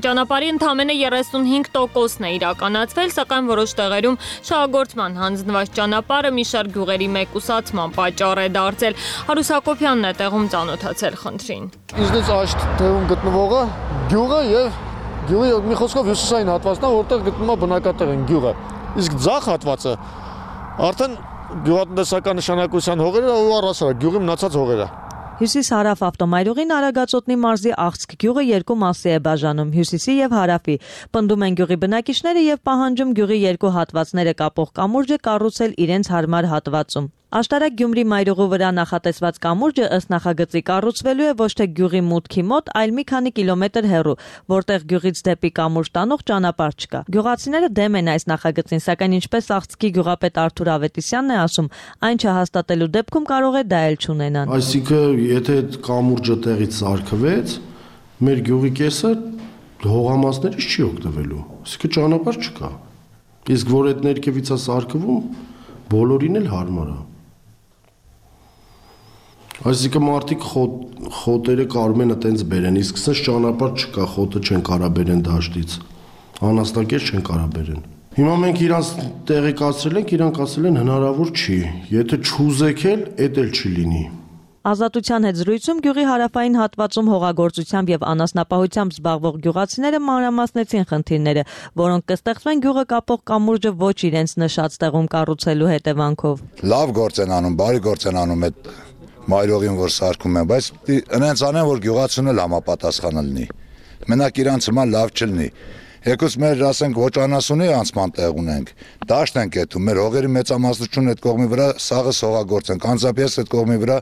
ճանապարհի ընդամենը երեսունհինգ տոկոսն է իրականացվել, սակայն որոշ տեղերում շահագործման հանձնված ճանապարհը մի շարք գյուղերի մեկուսացման պատճառ է դարձել։ Հարուս Հակոբյանն է տեղում ծանոթացել խնդրին։ Ինձնից աչք տեղում գտնվողը գյուղը եւ Գյուղի մի խոսքով հյուսիսային հատվածն է, որտեղ գտնվում է բնակատեղին գյուղը։ Իսկ ձախ հատվածը արդեն գյուղատնտեսական նշանակության հողերը ու առասարակ գյուղի մնացած հողերը։ Հյուսիս-հարավ ավտոմայրուղին Արագածոտնի մարզի Աղցք գյուղը երկու մասի է բաժանում՝ հյուսիսի եւ հարավի։ Պնդում են գյուղի բնակիչները եւ պահանջում գյուղի երկու հատվածները կապող կամուրջը կառուցել իրենց հարմար հատվածում։ Աշտարակ Գյումրի մայրուղու վրա նախատեսված կամուրջը ըստ նախագծի կառուցվելու է ոչ թե գյուղի մուտքի մոտ, այլ մի քանի կիլոմետր հեռու, որտեղ գյուղից դեպի կամուրջ տանող ճանապարհ չկա։ Գյուղացիները դեմ են այս նախագծին, սակայն ինչպես Աղցքի գյուղապետ Արթուր Ավետիսյանն է ասում, այն չհաստատելու դեպքում կարող է դա էլ չունենան։ Այսինքն, եթե այդ կամուրջը տեղից սարքվեց, մեր գյուղի կեսը հողամասներից չի օգտվելու։ Այսինքն ճանապարհ չկա։ Իսկ որ այդ ներքևից է սարքվում, բոլորին էլ հարմար է։ Այսինքն մարդիկ խոտերը կարում են այտենց բերեն, իսկ սենց ճանապարհ չկա, խոտը չեն կարա բերեն դաշտից, անաստակեր չեն կարա բերեն։ Հիմա մենք իրանց տեղեկացրել ենք, իրանք ասել են հնարավոր չի, եթե չուզեք էլ, էդ էլ չի լինի։ Ազատության հետ զրույցում գյուղի հարավային հատվածում հողագործությամբ եւ անասնապահությամբ զբաղվող գյուղացիները մանրամասնեցին խնդիրները, որոնք կստեղծվեն գյուղը կապող կամուրջը ոչ իրենց նշած տեղում կառուցելու հետևանքով։ Լավ գործ են անում, բարի գործ են անում այդ մայրողին, որ սարքում են, բայց այնց անեն, որ գյուղացուն էլ համապատասխան լինի։ Մենակ իրանց հիմա լավ չլինի։ Եկուս մեր ասենք ոչ անասունի անցման տեղ ունենք, դաշտ ենք եթում, մեր հողերի մեծամասնությունն այդ կողմի վրա սաղը սողագործ ենք, անձամբ ես այդ կողմի վրա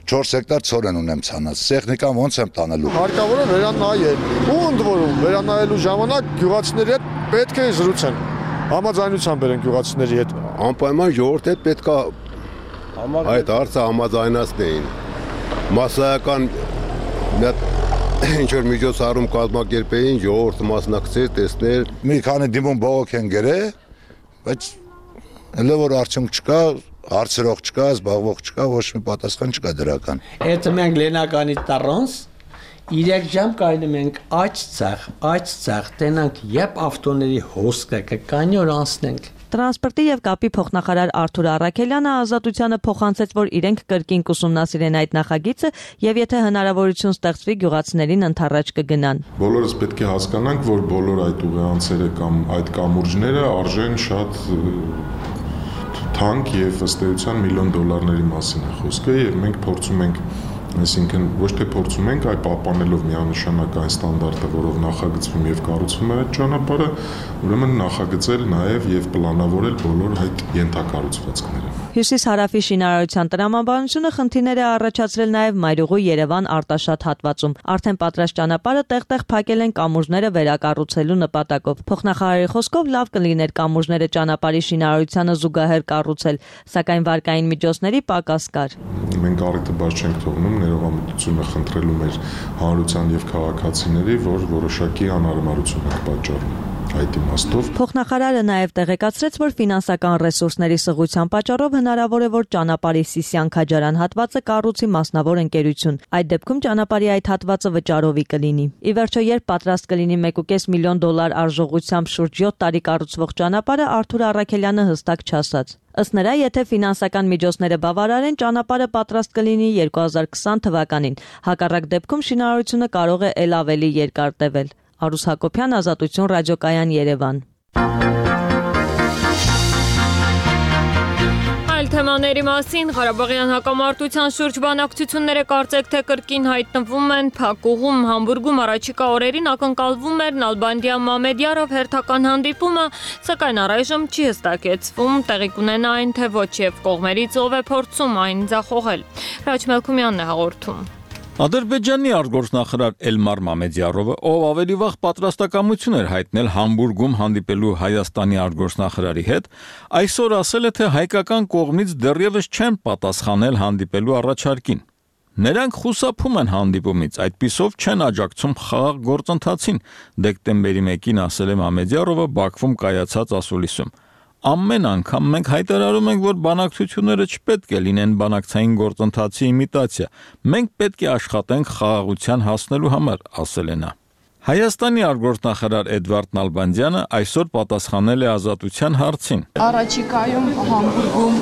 չորս հեկտար ցոր են ունեմ ցանած, տեխնիկան ոնց եմ տանելու։ Հարկավոր է վերանայել, ու ընդ որում վերանայելու ժամանակ գյուղացիների հետ պետք է զրուցեն, համաձայնության բերեն գյուղացիների հետ։ Անպայման ժողովրդի հետ պետք է այդ հարցը համաձայնացնեին։ Մասսայական ինչ որ միջոցառում կազմակերպեին, ժողովուրդը մասնակցեր, տեսներ։ Մի քանի դիմում բողոք են գրել, բայց հələ որ արդյունք չկա, հարցրող չկա, զբաղվող չկա, ոչ մի պատասխան չկա դրական։ Եթե մենք Լենագանի տառոնց երեք ժամ կայնում ենք աջ ցախ, աջ ցախ, տենանք երբ ավտոների հոսքը կկանի որ անցնենք։ Տրանսպորտի եւ կապի փոխնախարար Արթուր Առաքելյանը Ազատությանը փոխանցեց, որ իրենք կրկին կուսումնասիրեն այդ նախագիծը եւ եթե հնարավորություն ստեղծվի գյուղացիներին ընթառաջ կգնան։ Բոլորս պետք է հասկանանք, որ բոլոր այդ ուղեանցերը կամ այդ կամուրջները արժեն շատ թանկ եւ ըստ էության միլիոն դոլարների մասին է խոսքը եւ մենք փորձում ենք Այսինքն ոչ թե փորձում ենք, այլ պահպանելով միանշանակ այն ստանդարտը, որով նախագծվում եւ կառուցվում է այդ ճանապարհը, ուրեմն նախագծել նաեւ եւ պլանավորել բոլոր այդ ենթակառուցվածքները։ Հյուսիս-հարավի շինարարության տրամաբանությունը խնդիրներ է առաջացրել նաև Մայրուղու Երևան Արտաշատ հատվածում։ Արդեն պատրաստ ճանապարհը տեղ-տեղ փակել են կամուրջները վերակառուցելու նպատակով։ Փոխնախարարի խոսքով լավ կլիներ կամուրջները ճանապարհի շինարարությանը զուգահեռ կառուցել, սակայն վարկային միջոցների պակաս կար։ Մենք առիթը բաց չենք թողնում ներողամտությունը խնդրելու մեր հանրության եւ քաղաքացիների, որ որոշակի անհարմարություն ենք պատճառում։ Այդ իմաստով Փոխնախարարը նաև տեղեկացրեց, որ ֆինանսական ռեսուրսների սղության պատճառով հնարավոր է, որ ճանապարհի Սիսիան-Քաջարան հատվածը կառուցի մասնավոր ընկերություն։ Այդ դեպքում ճանապարհի այդ հատվածը վճարովի կլինի։ Ի վերջո, երբ պատրաստ կլինի մեկ կես միլիոն դոլար արժողությամբ շուրջ յոթ տարի կառուցվող ճանապարհը, Արթուր Առաքելյանը հստակ չասաց։ Ըստ նրա, եթե ֆինանսական միջոցները բավարարեն, ճանապարհը պատրաստ կլինի երկու հազար քսան թվականին։ Հակառակ դեպքում շինարարությունը կարող է ել ավելի երկար տևել։ Արուս Հակոբյան, Ազատություն ռադիոկայան, Երևան։ Այլ թեմաների մասին Ղարաբաղյան հակամարտության շուրջ բանակցությունները կարծեք թե կրկին հայտնվում են փակուղում։ Համբուրգում առաջիկա օրերին ակնկալվում էր Նալբանդյան Մամեդյարով հերթական հանդիպումը, սակայն առայժմ չի հստակեցվում տեղի կունենա այն թե ոչ, եւ կողմերից ով է փորձում այն ձախողել։ Հրաչ Մելքումյանն է հաղորդում։ Ադրբեջանի արտգործնախարար Էլմար Մամեդյարովը, ով ավելի վաղ պատրաստակամություն էր հայտնել Համբուրգում հանդիպելու Հայաստանի արտգործնախարարի հետ, այսօր ասել է, թե հայկական կողմից դեռևս չեն պատասխանել հանդիպելու առաջարկին։ Նրանք խուսափում են հանդիպումից, այդպիսով չեն աջակցում խաղաղ գործընթացին, դեկտեմբերի մեկին ասել է Մամեդյարովը Բաքվում կայացած ասուլիսում։ Ամեն անգամ մենք հայտարարում ենք, որ բանակցությունները չպետք է լինեն բանակցային գործընթացի իմիտացիա։ Մենք պետք է աշխատենք խաղաղության հասնելու համար, ասել է նա։ Հայաստանի արտգործնախարար Էդվարդ Նալբանդյանը այսօր պատասխանել է Ազատության հարցին։ Առաջիկայում Համբուրգում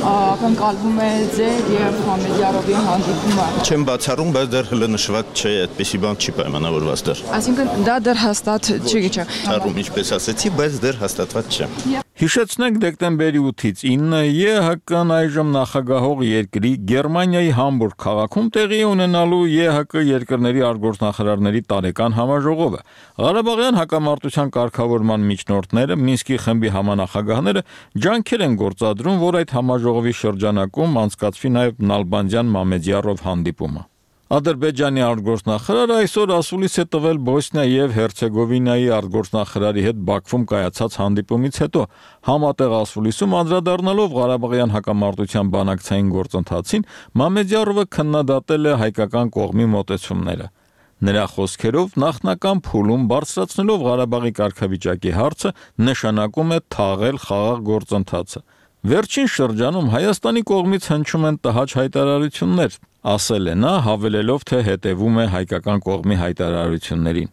ակնկալվում է ձեր եւ Մամեդյարովի հանդիպումը։ Չեմ բացառում, բայց դեռ հլը նշված չէ, այդպեսի բան չի պայմանավորված դեռ։ Այսինքն դա դեռ հաստատ չի գիչ։ Բացառում, ինչպես ասեցի, բայց դեռ հաստատված չէ։ Հիշեցնենք դեկտեմբերի ութից ինը ԵՀԿ-ն այժմ նախագահող երկրի Գերմանիայի Համբուրգ քաղաքում տեղի ունենալու ԵՀԿ երկրների արտգործնախարարների տարեկան համաժողովը։ Ղարաբաղյան հակամարտության կարգավորման միջնորդները, Մինսկի խմբի համանախագահները ջանքեր են գործադրում, որ այդ համաժողովի շրջանակում անցկացվի նաև Նալբանդյան Մամեդյարով հանդիպումը։ Ադրբեջանի արտգործնախարարը այսօր ասուլիս է տվել Բոսնիա եւ Հերցեգովինայի արտգործնախարարի հետ Բաքվում կայացած հանդիպումից հետո, համատեղ ասուլիսում անդրադառնալով Ղարաբաղյան հակամարտության բանակցային գործընթացին, Մամեդյարովը քննադատել է հայկական կողմի մոտեցումները։ Նրա խոսքերով նախնական փուլում բարձրացնելով Ղարաբաղի կարգավիճակի հարցը նշանակում է թաղել խաղաղ գործընթացը։ Վերջին շրջանում Հայաստանի կողմից հնչում են տհաճ հայտարարություններ, ասել է նա, հավելելով, թե հետևում է հայկական կողմի հայտարարություններին։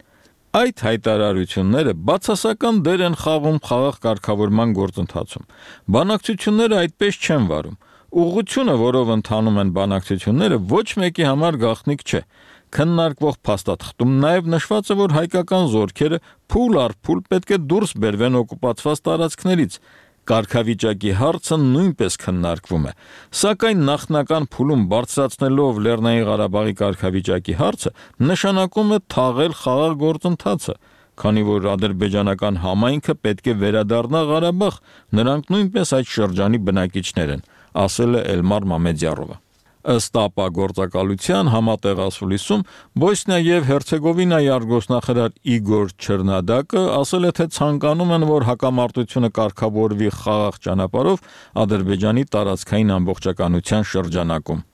Այդ հայտարարությունները բացասական դեր են խաղում խաղաղ կարգավորման գործընթացում։ Բանակցությունները այդպես չեն վարում։ Ուղղությունը, որով ընթանում են բանակցությունները, ոչ մեկի համար գաղտնիք չէ։ Քննարկվող փաստաթղթում նաև նշված է, որ հայկական զորքերը փուլ առ փուլ պետք է դուրս բերվեն օկուպացված տարածքներից։ Կարգավիճակի հարցը նույնպես քննարկվում է, սակայն նախնական փուլում բարձրացնելով Լեռնային Ղարաբաղի կարգավիճակի հարցը նշանակում է թաղել խաղաղ գործընթացը, քանի որ ադրբեջանական համայնքը պետք է վերադառնա Ղարաբաղ, նրանք նույնպես այդ շրջանի բնակիչներ են, ասել է Էլմար Մամեդյարովը։ Ըստ ԱՊԱ գործակալության համատեղ ասուլիսում Բոսնիա եւ Հերցեգովինայի արտգործնախարար Իգոր Չերնադակը ասել է, թե ցանկանում են, որ հակամարտությունը կարգավորվի խաղաղ ճանապարհով Ադրբեջանի տարածքային ամբողջականության շրջանակում։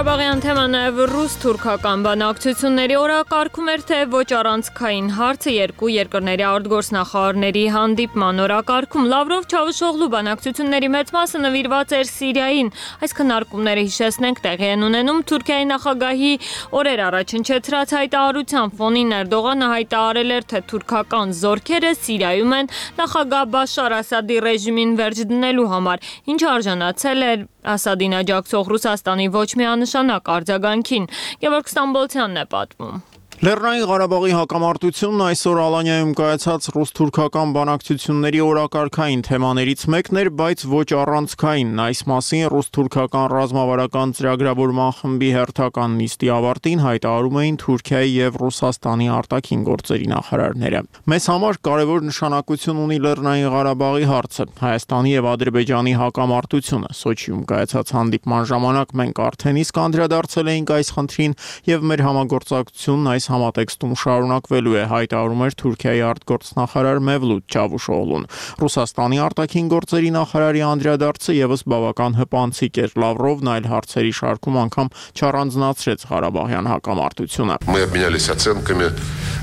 Ղարաբաղյան թեման նաև ռուս-թուրքական բանակցությունների օրակարգում էր, թե ոչ առանցքային հարցը երկու երկրների արտգործնախարարների հանդիպման օրակարգում։ Լավրով Չավուշօղլու բանակցությունների մեծ մասը նվիրված էր Սիրիային։ Այս քննարկումները, հիշեցնենք, տեղի են ունենում Թուրքիայի նախագահի օրեր առաջ հնչեցրած հայտարարության ֆոնին։ Էրդողանը հայտարարել էր, թե թուրքական զորքերը Սիրիայում են նախագահ Բաշար Ասադի ռեժիմին վերջ դնելու համար, ինչը արժանացել էր Ասադին աջակցող Ռուսաստանի ոչ միանշանակ արձագանքին։ Գևորգ Ստամբոլցյանն է պատմում։ Լեռնային Ղարաբաղի հակամարտությունն այսօր Ալանյայում կայացած ռուս-թուրքական բանակցությունների օրակարգային թեմաներից մեկն էր, բայց ոչ առանցքային։ Այս մասին ռուս-թուրքական ռազմավարական ծրագրավորման խմբի հերթական նիստի ավարտին հայտարարում էին Թուրքիայի եւ Ռուսաստանի արտաքին գործերի նախարարները։ Մեզ համար կարևոր նշանակություն ունի Լեռնային Ղարաբաղի հարցը, Հայաստանի եւ Ադրբեջանի հակամարտությունը։ Սոչիում կայացած հանդիպման ժամանակ մենք արդեն իսկ անդրադարձել էինք այս խնդրին եւ մեր համագործակցությունն այս համատեքստում շարունակվելու է, հայտարարում էր Թուրքիայի արտգործնախարար Մևլութ Չավուշօղլուն։ Ռուսաստանի արտաքին գործերի նախարարի անդրադարձը եւս բավական հպանցիկ էր։ Լավրովն այլ հարցերի շարքում անգամ չառանձնացրեց Ղարաբաղյան հակամարտությունը։ Мы обменялись оценками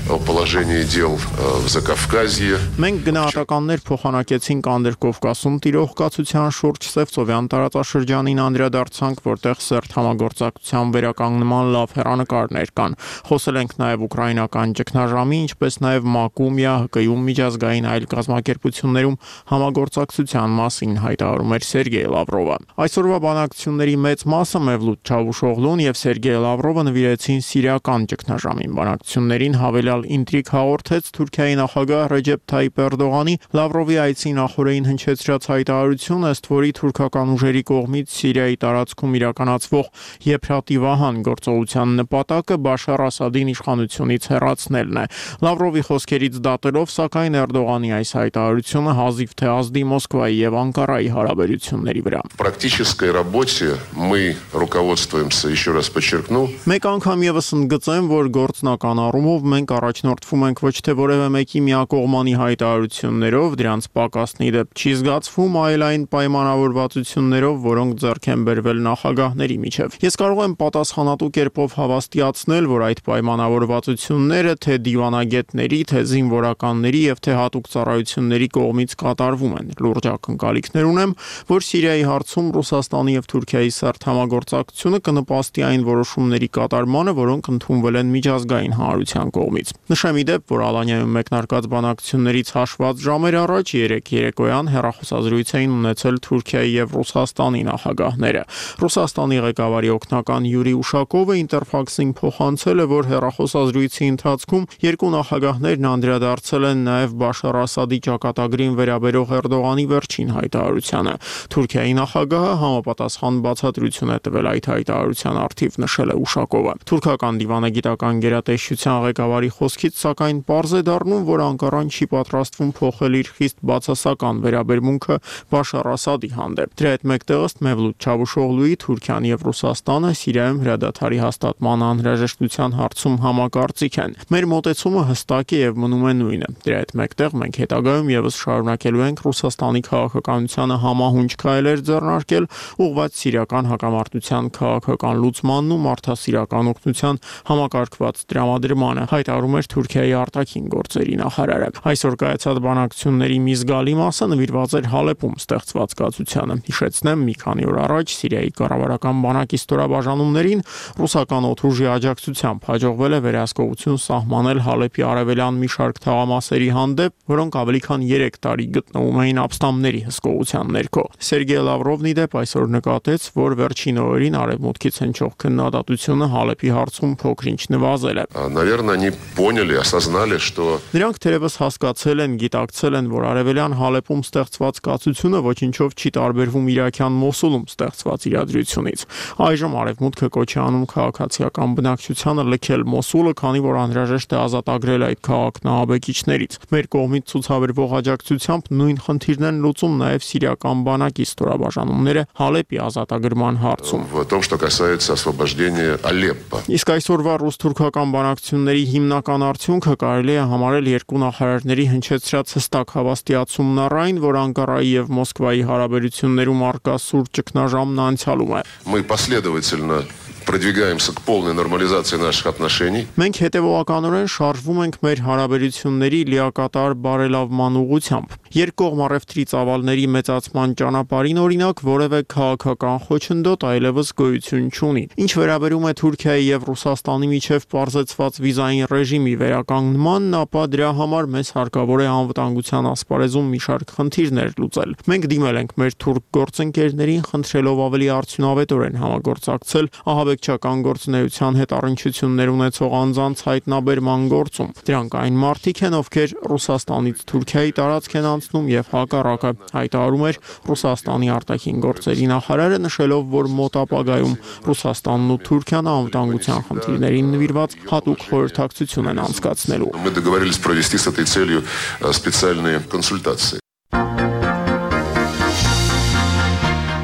о положении дел в Закавказье. Մենք գնահատականներ փոխանակեցինք Անդրկովկասում տիրող կացության շուրջ Սևծովյան տարածաշրջանին անդրադարձանք, որտեղ սերտ համագործակցության վերականգնման լավ հեռանկարներ կան։ Խոսել ենք նաև ուկրաինական ճգնաժամի, ինչպես նաև ՄԱԿ-ում, ԵԱՀԿ-ում, միջազգային այլ կազմակերպություններում համագործակցության մասին, հայտարարում էր Սերգեյ Լավրովը։ Այսօրվա բանակցությունների մեծ մասը Մևլութ Չավուշօղլուն եւ Սերգեյ Լավրովը նվիրեցին սիրիական ճգնաժամին։ Բանակցություններին հավելյալ ինտրիգ հաղորդեց Թուրքիայի նախագահ Ռեջեփ Թայիփ Էրդողանի Լավրովի այցի նախօրեին հնչեցրած հայտարարությունը, ըստ որի թուրքական ուժերի կողմից Սիրիայի տարածքում իրականացվող եփրատիվահան գործողության նպատակը Բաշար Ասադին իշխանությունից հեռացնելն է։ Լավրովի խոսքերից դատելով, սակայն Էրդողանի այս հայտարարությունը հազիվ թե ազդի Մոսկվայի եւ Անկարայի հարաբերությունների վրա։ В практической работе мы руководствуемся, еще раз подчеркну. Մեկ անգամ եւս ընդգծեմ, որ գործնական առումով մենք առաջնորդվում ենք ոչ թե որևէ մեկի միակողմանի հայտարարություններով, դրանց պակասնի դեպ չի զգացվում, այլ այն պայմանավորվածություններով, որոնք ձեռք են բերվել նախագահների միջև։ Ես կարող եմ պատասխանատու կերպով հավաստիացնել, որ այդ պայմանավորվածությունները թե դիվանագետների, թե զինվորականների եւ թե հատուկ ծառայությունների կողմից կատարվում են։ Լուրջ ակնկալիքներ ունեմ, որ Սիրիայի հարցում Ռուսաստանի եւ Թուրքիայի սերտ համագործակցությունը կնպաստի այն որոշումների կատարմանը, որոնք ընդունվել են միջազգային հանրության կողմից։ Նշեմ ի դեպ, որ Ալանյայում մեկնարկած բանակցություններից հաշված ժամեր առաջ երեք երեկոյան հեռախոսազրույց էին ունեցել Թուրքիայի եւ Ռուսաստանի նախագահները։ Ռուսաստանի ղեկավարի օգնական Յուրի Ուշակովը Ինտերֆաքսին փոխանցել է, որ հեռախոսազրույցի ընթացքում երկու նախագահներն անդրադարձել են նաև Բաշար Ասադի ճակատագրին վերաբերող Էրդողանի վերջին հայտարարությանը։ Թուրքիայի նախագահը համապատասխան բացատրություն է տվել այդ հայտարարության առթիվ, նշել է Ուշակովը։ Թուրքական դիվանագիտական գերատեսչության ղեկավարի խոսքից սակայն պարզ է դառնում, որ Անկարան չի պատրաստվում փոխել իր խիստ բացասական վերաբերմունքը Բաշար Ասադի հանդեպ։ Դրա հետ մեկտեղ ըստ Մևլութ Չավուշօղլուի Թուրքիան եւ Ռուսաստանը Սիրիայում հրադադարի հաստատման անհրաժեշտության հարցում համակարծիք են։ Մեր մոտեցումը հստակ է եւ մնում է նույնը։ Դրա հետ մեկտեղ մենք հետագայում եւս շարունակելու ենք Ռուսաստանի քաղաքականությանը համահունչ քայլեր ձեռնարկել, ուղղված սիրիական հակամարտության քաղաքական լուծմանն ու մարդասիրական օգնության համակարգված տրամադրմանը, հայտարարում էր Թուրքիայի արտաքին գործերի նախարարը։ Այսօր կայացած բանակցությունների մի զգալի մասը նվիրված էր Հալեպում ստեղծված կացությանը։ Հիշեցնեմ, մի քանի օր առաջ Սիրիայի կառավարական բանակի ստորաբաժանումներին ռուսական օդուժի աջակցությամբ հաջողվել է վերահսկողություն սահմանել Հալեպի արևելյան մի շարք թաղամասերի հանդեպ, որոնք ավելի քան երեք տարի գտնվում էին ապստամբների հսկողության ներքո։ Սերգեյ Լավրովն ի դեպ այսօր նկատեց, որ վերջին օրերին արևմուտքից հնչող քննադատությունը Հալեպի հարցում փոքրինչ նվազել է։ Наверное, они поняли, осознали, что Նրանք թերևս հասկացել են, գիտակցել են, որ արևելյան Հալեպում ստեղծված կացությունը ոչինչով չի տարբերվում իրաքյան Մոսուլում ստեղծված իրադրությունից։ Այժմ արևմուտքը կոչ է անում քաղաքացիական բնակչությանը լքել Մոսուլը, քանի որ անհրաժեշտ է ազատագրել այդ քաղաքն ահաբեկիչներից։ Մեր կողմից ցուցաբերվող աջակցությամբ նույն խնդիրն են լուծում նաև սիրիական բանակի ստորաբաժանումները Հալեպի ազատագրման հարցում։ в том, что касается освобождения Алеппо. Իսկ այսօրվա ռուս-թուրքական բանակցությունների հիմնական արդյունքը կարելի է համարել երկու նախարարների հնչեցրած հստակ հավաստիացումն առ այն, որ Անկարայի եւ Մոսկվայի հարաբերություններում արկա սուր ճգնաժամն անցյալում է։ Мы последовательно продвигаемся к полной нормализации наших отношений. Մենք հետևողականորեն շարժվում ենք մեր հարաբերությունների լիակատար բարելավման ուղղությամբ։ Երկկողմ առևտրի ծավալների մեծացման ճանապարհին օրինակ որևէ քաղաքական խոչընդոտ այլևս գոյություն չունի։ Ինչ վերաբերում է Թուրքիայի եւ Ռուսաստանի միջև պարզեցված վիզային ռեժիմի վերականգնմանն, ապա դրա համար մեզ հարկավոր է անվտանգության ասպարեզում մի շարք խնդիրներ լուծել։ Մենք դիմել ենք մեր թուրք գործընկերներին, խնդրելով ավելի արդյունավետորեն համագործակցել ահաբեկչական գործունեության հետ առնչություններ ունեցող անձանց հայտնաբերման գործում։ Դրանք այն մարդիկ են, ովքեր Ռուսաստանից Թուրքիայի տարածք են անցնում եւ հակառակը, հայտարարում էր Ռուսաստանի արտաքին գործերի նախարարը, նշելով, որ մոտ ապագայում Ռուսաստանն ու Թուրքիան անվտանգության խնդիրներին նվիրված հատուկ խորհրդակցություն են անցկացնելու։ Мы договорились провести с этой целью специальные консультации.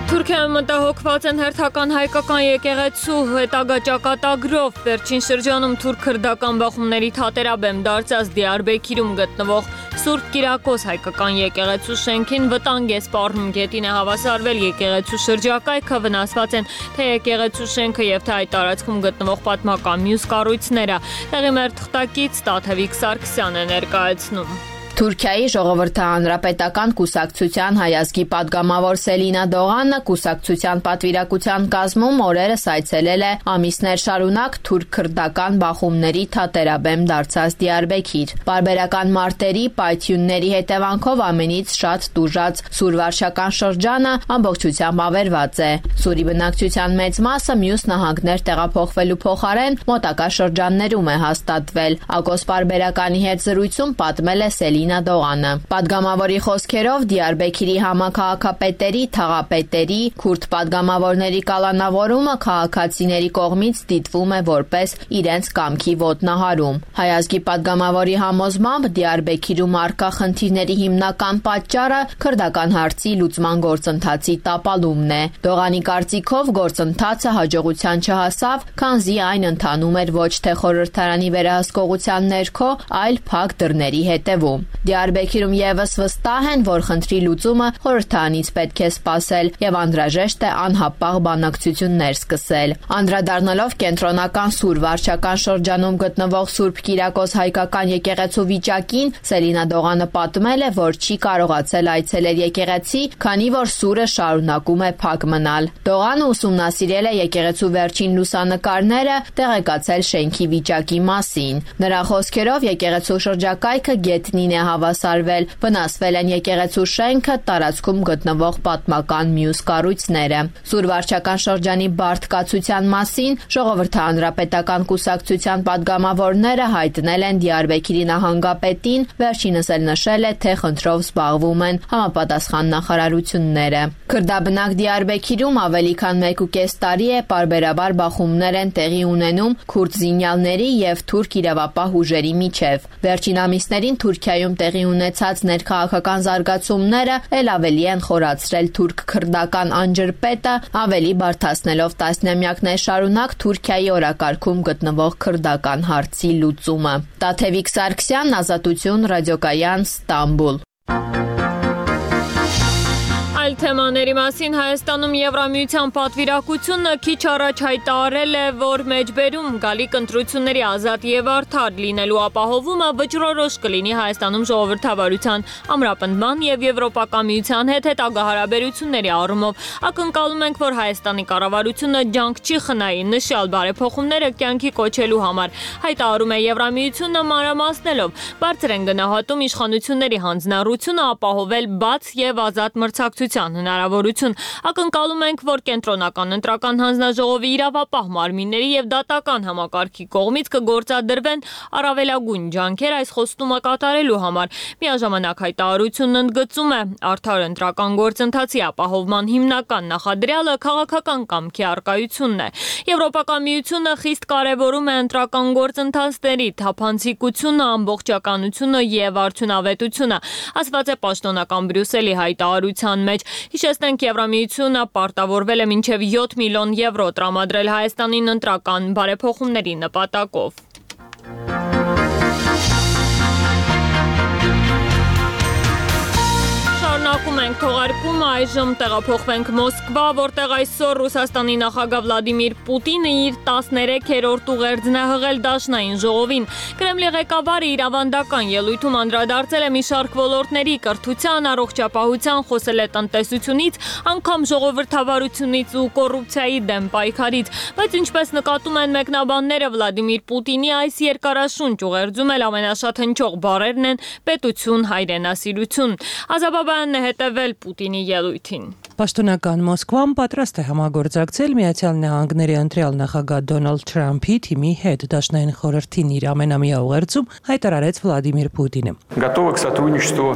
Թուրքիայում մտահոգված են հերթական հայկական եկեղեցու հետագա ճակատագրով։ Վերջին շրջանում թուրք-քրդական բախումների թատերաբեմ դարձած Դիարբեքիրում գտնվող Սուրբ Կիրակոս հայկական եկեղեցու շենքին վտանգ է սպառնում։ Գետին է հավասարվել եկեղեցու շրջակայքը, վնասված են թե եկեղեցու շենքը եւ թե այդ տարածքում գտնվող պատմական մյուս կառույցները։ Տեղի մեր թղթակից Տաթևիկ Սարգսյանն է ներկայացնում։ Թուրքիայի ժողովրդի հանրապետական կուսակցության հայազգի падգամավոր Սելինա Դողանը կուսակցության պատվիրակության կազմում օրերս այցելել է ամիսներ շարունակ թուրք-քրդական բախումների թատերաբեմ դարձած Դիարբեքիր։ Պարբերական մարտերի, պայթյունների հետևանքով ամենից շատ տուժած Սուրվարշական շրջանը ամբողջությամբ ավերված է։ Սուրի բնակչության մեծ մասը մյուս նահանգներ տեղափոխվելու փոխարեն մոտակա շրջաններում է հաստատվել։ Ակոս պարբերականի հետ զրույցում պատմել է Սելինա Դողանը։ Պատգամավորի խոսքերով Դիարբեքիրի համաքաղաքապետերի, թաղապետերի, քուրդ պատգամավորների կալանավորումը քաղաքացիների կողմից դիտվում է որպես իրենց կամքի ոտնահարում։ Հայազգի պատգամավորի համոզմամբ Դիարբեքիրում առկա խնդիրների հիմնական պատճառը քրդական հարցի լուծման գործընթացի տապալումն է։ Դողանի կարծիքով գործընթացը հաջողության չհասավ, քանզի այն ընթանում էր ոչ թե խորհրդարանի վերահսկողության ներքո, այլ փակ դռների հետևում։ Դիարբեքիրում եւս վստահ են, որ խնդրի լուծումը խորհրդարանից պետք է սպասել եւ անհրաժեշտ է անհապաղ բանակցություններ սկսել։ Անդրադառնալով կենտրոնական Սուրվարշական շրջանում գտնվող Սուրբ Կիրակոս հայկական եկեղեցու վիճակին, Սելինա Դողանը պատմել է, որ չի կարողացել այցելել եկեղեցի, քանի որ սուրը շարունակում է փակ մնալ։ Դողանը ուսումնասիրել է եկեղեցու վերջին լուսանկարները, տեղեկացել շենքի վիճակի մասին։ Նրա խոսքերով եկեղեցու շրջակայքը գետնին է հավասարվել, վնասվել են եկեղեցու շենքը, տարածքում գտնվող պատմական մյուս կառույցները։ Սուրվարշական շրջանի բարդ կացության մասին Ժողովրդի հանրապետական կուսակցության падգամավորները հայտնել են Դիարբեքիրի նահանգապետին, վերջինս էլ նշել է, թե խնդրով զբաղվում են համապատասխան նախարարությունները։ Քրդաբնակ Դիարբեքիրում ավելի քան մեկ ու կես տարի է պարբերաբար բախումներ են տեղի ունենում քուրդ զինյալների եւ թուրք իրավապահ ուժերի միջև։ Վերջին ամիսներին Թուրքիայում տեղի ունեցած ներքաղաքական զարգացումները ել ավելի են խորացրել թուրք-քրդական անջրպետը, ավելի բարդացնելով տասնամյակներ շարունակ Թուրքիայի օրակարգում գտնվող քրդական հարցի լուծումը։ Տաթևիկ Սարգսյան, Ազատություն, ռադիոկայան, Ստամբուլ։ Այլ թեմաների մասին Հայաստանում Եվրամիության պատվիրակությունը քիչ առաջ հայտարարել է, որ մեջբերում գալիք ընտրությունների ազատ եւ արդար լինելու ապահովումը վճռորոշ կլինի Հայաստանում ժողովրդավարության ամրապնդման եւ Եվրոպական միության հետ հետագա հարաբերությունների առումով։ Ակնկալում ենք, որ Հայաստանի կառավարությունը ջանք չի խնայի նշյալ բարեփոխումները կյանքի կոչելու համար, հայտարարում է Եվրամիությունը մանրամասնելով։ Բարձր են գնահատում իշխանությունների հանձնառությունը ապահովել բաց եւ ազատ մրցակցություն հնարավորություն։ Ակնկալում ենք, որ կենտրոնական ընտրական հանձնաժողովի իրավապահ մարմինների եւ դատական համակարգի կողմից կգործադրվեն առավելագույն ջանքեր այս խոստումը կատարելու համար։ Միաժամանակ հայտարարությունն ընդգծում է, արդար ընտրական գործընթացի ապահովման հիմնական նախադրյալը քաղաքական կամքի առկայությունն է։ Եվրոպական միությունը խիստ կարևորում է ընտրական գործընթացների թափանցիկությունը, ամբողջականությունը եւ արդյունավետությունը, ասված է պաշտոնական Բրյուսելի հայտարարության մեջ։ Հիշեցնենք, Եվրամիությունը պարտավորվել է մինչև յոթ միլիոն եվրո տրամադրել Հայաստանին ընտրական բարեփոխումների նպատակով։ Շարունակում ենք թողարկումը, Այժմ տեղափոխվենք Մոսկվա, որտեղ այսօր Ռուսաստանի նախագահ Վլադիմիր Պուտինը իր տասներեքերորդ ուղերձն է հղել Դաշնային ժողովին։ Կրեմլի ղեկավարը իր ավանդական ելույթում անդրադարձել է մի շարք ոլորտների՝ կրթության, առողջապահության, խոսել է տնտեսությունից, անգամ ժողովրդավարությունից ու կոռուպցիայի դեմ պայքարից։ Բայց ինչպես նկատում են մեկնաբանները, Վլադիմիր Պուտինի այս երկարաշունչ ուղերձում էլ ամենաշատ հնչող բառերն են պետություն, հայրենասիրություն։ Ազաբաբյանն է հետևել Պուտինի ելույթին։ Պաշտոնական Մոսկվան պատրաստ է համագործակցել Միացյալ Նահանգների ընտրյալ նախագահ Դոնալդ Թրամփի թիմի հետ, Դաշնային խորհրդին իր ամենամյա ուղերձում հայտարարեց Վլադիմիր Պուտինը։ Готовы к сотрудничеству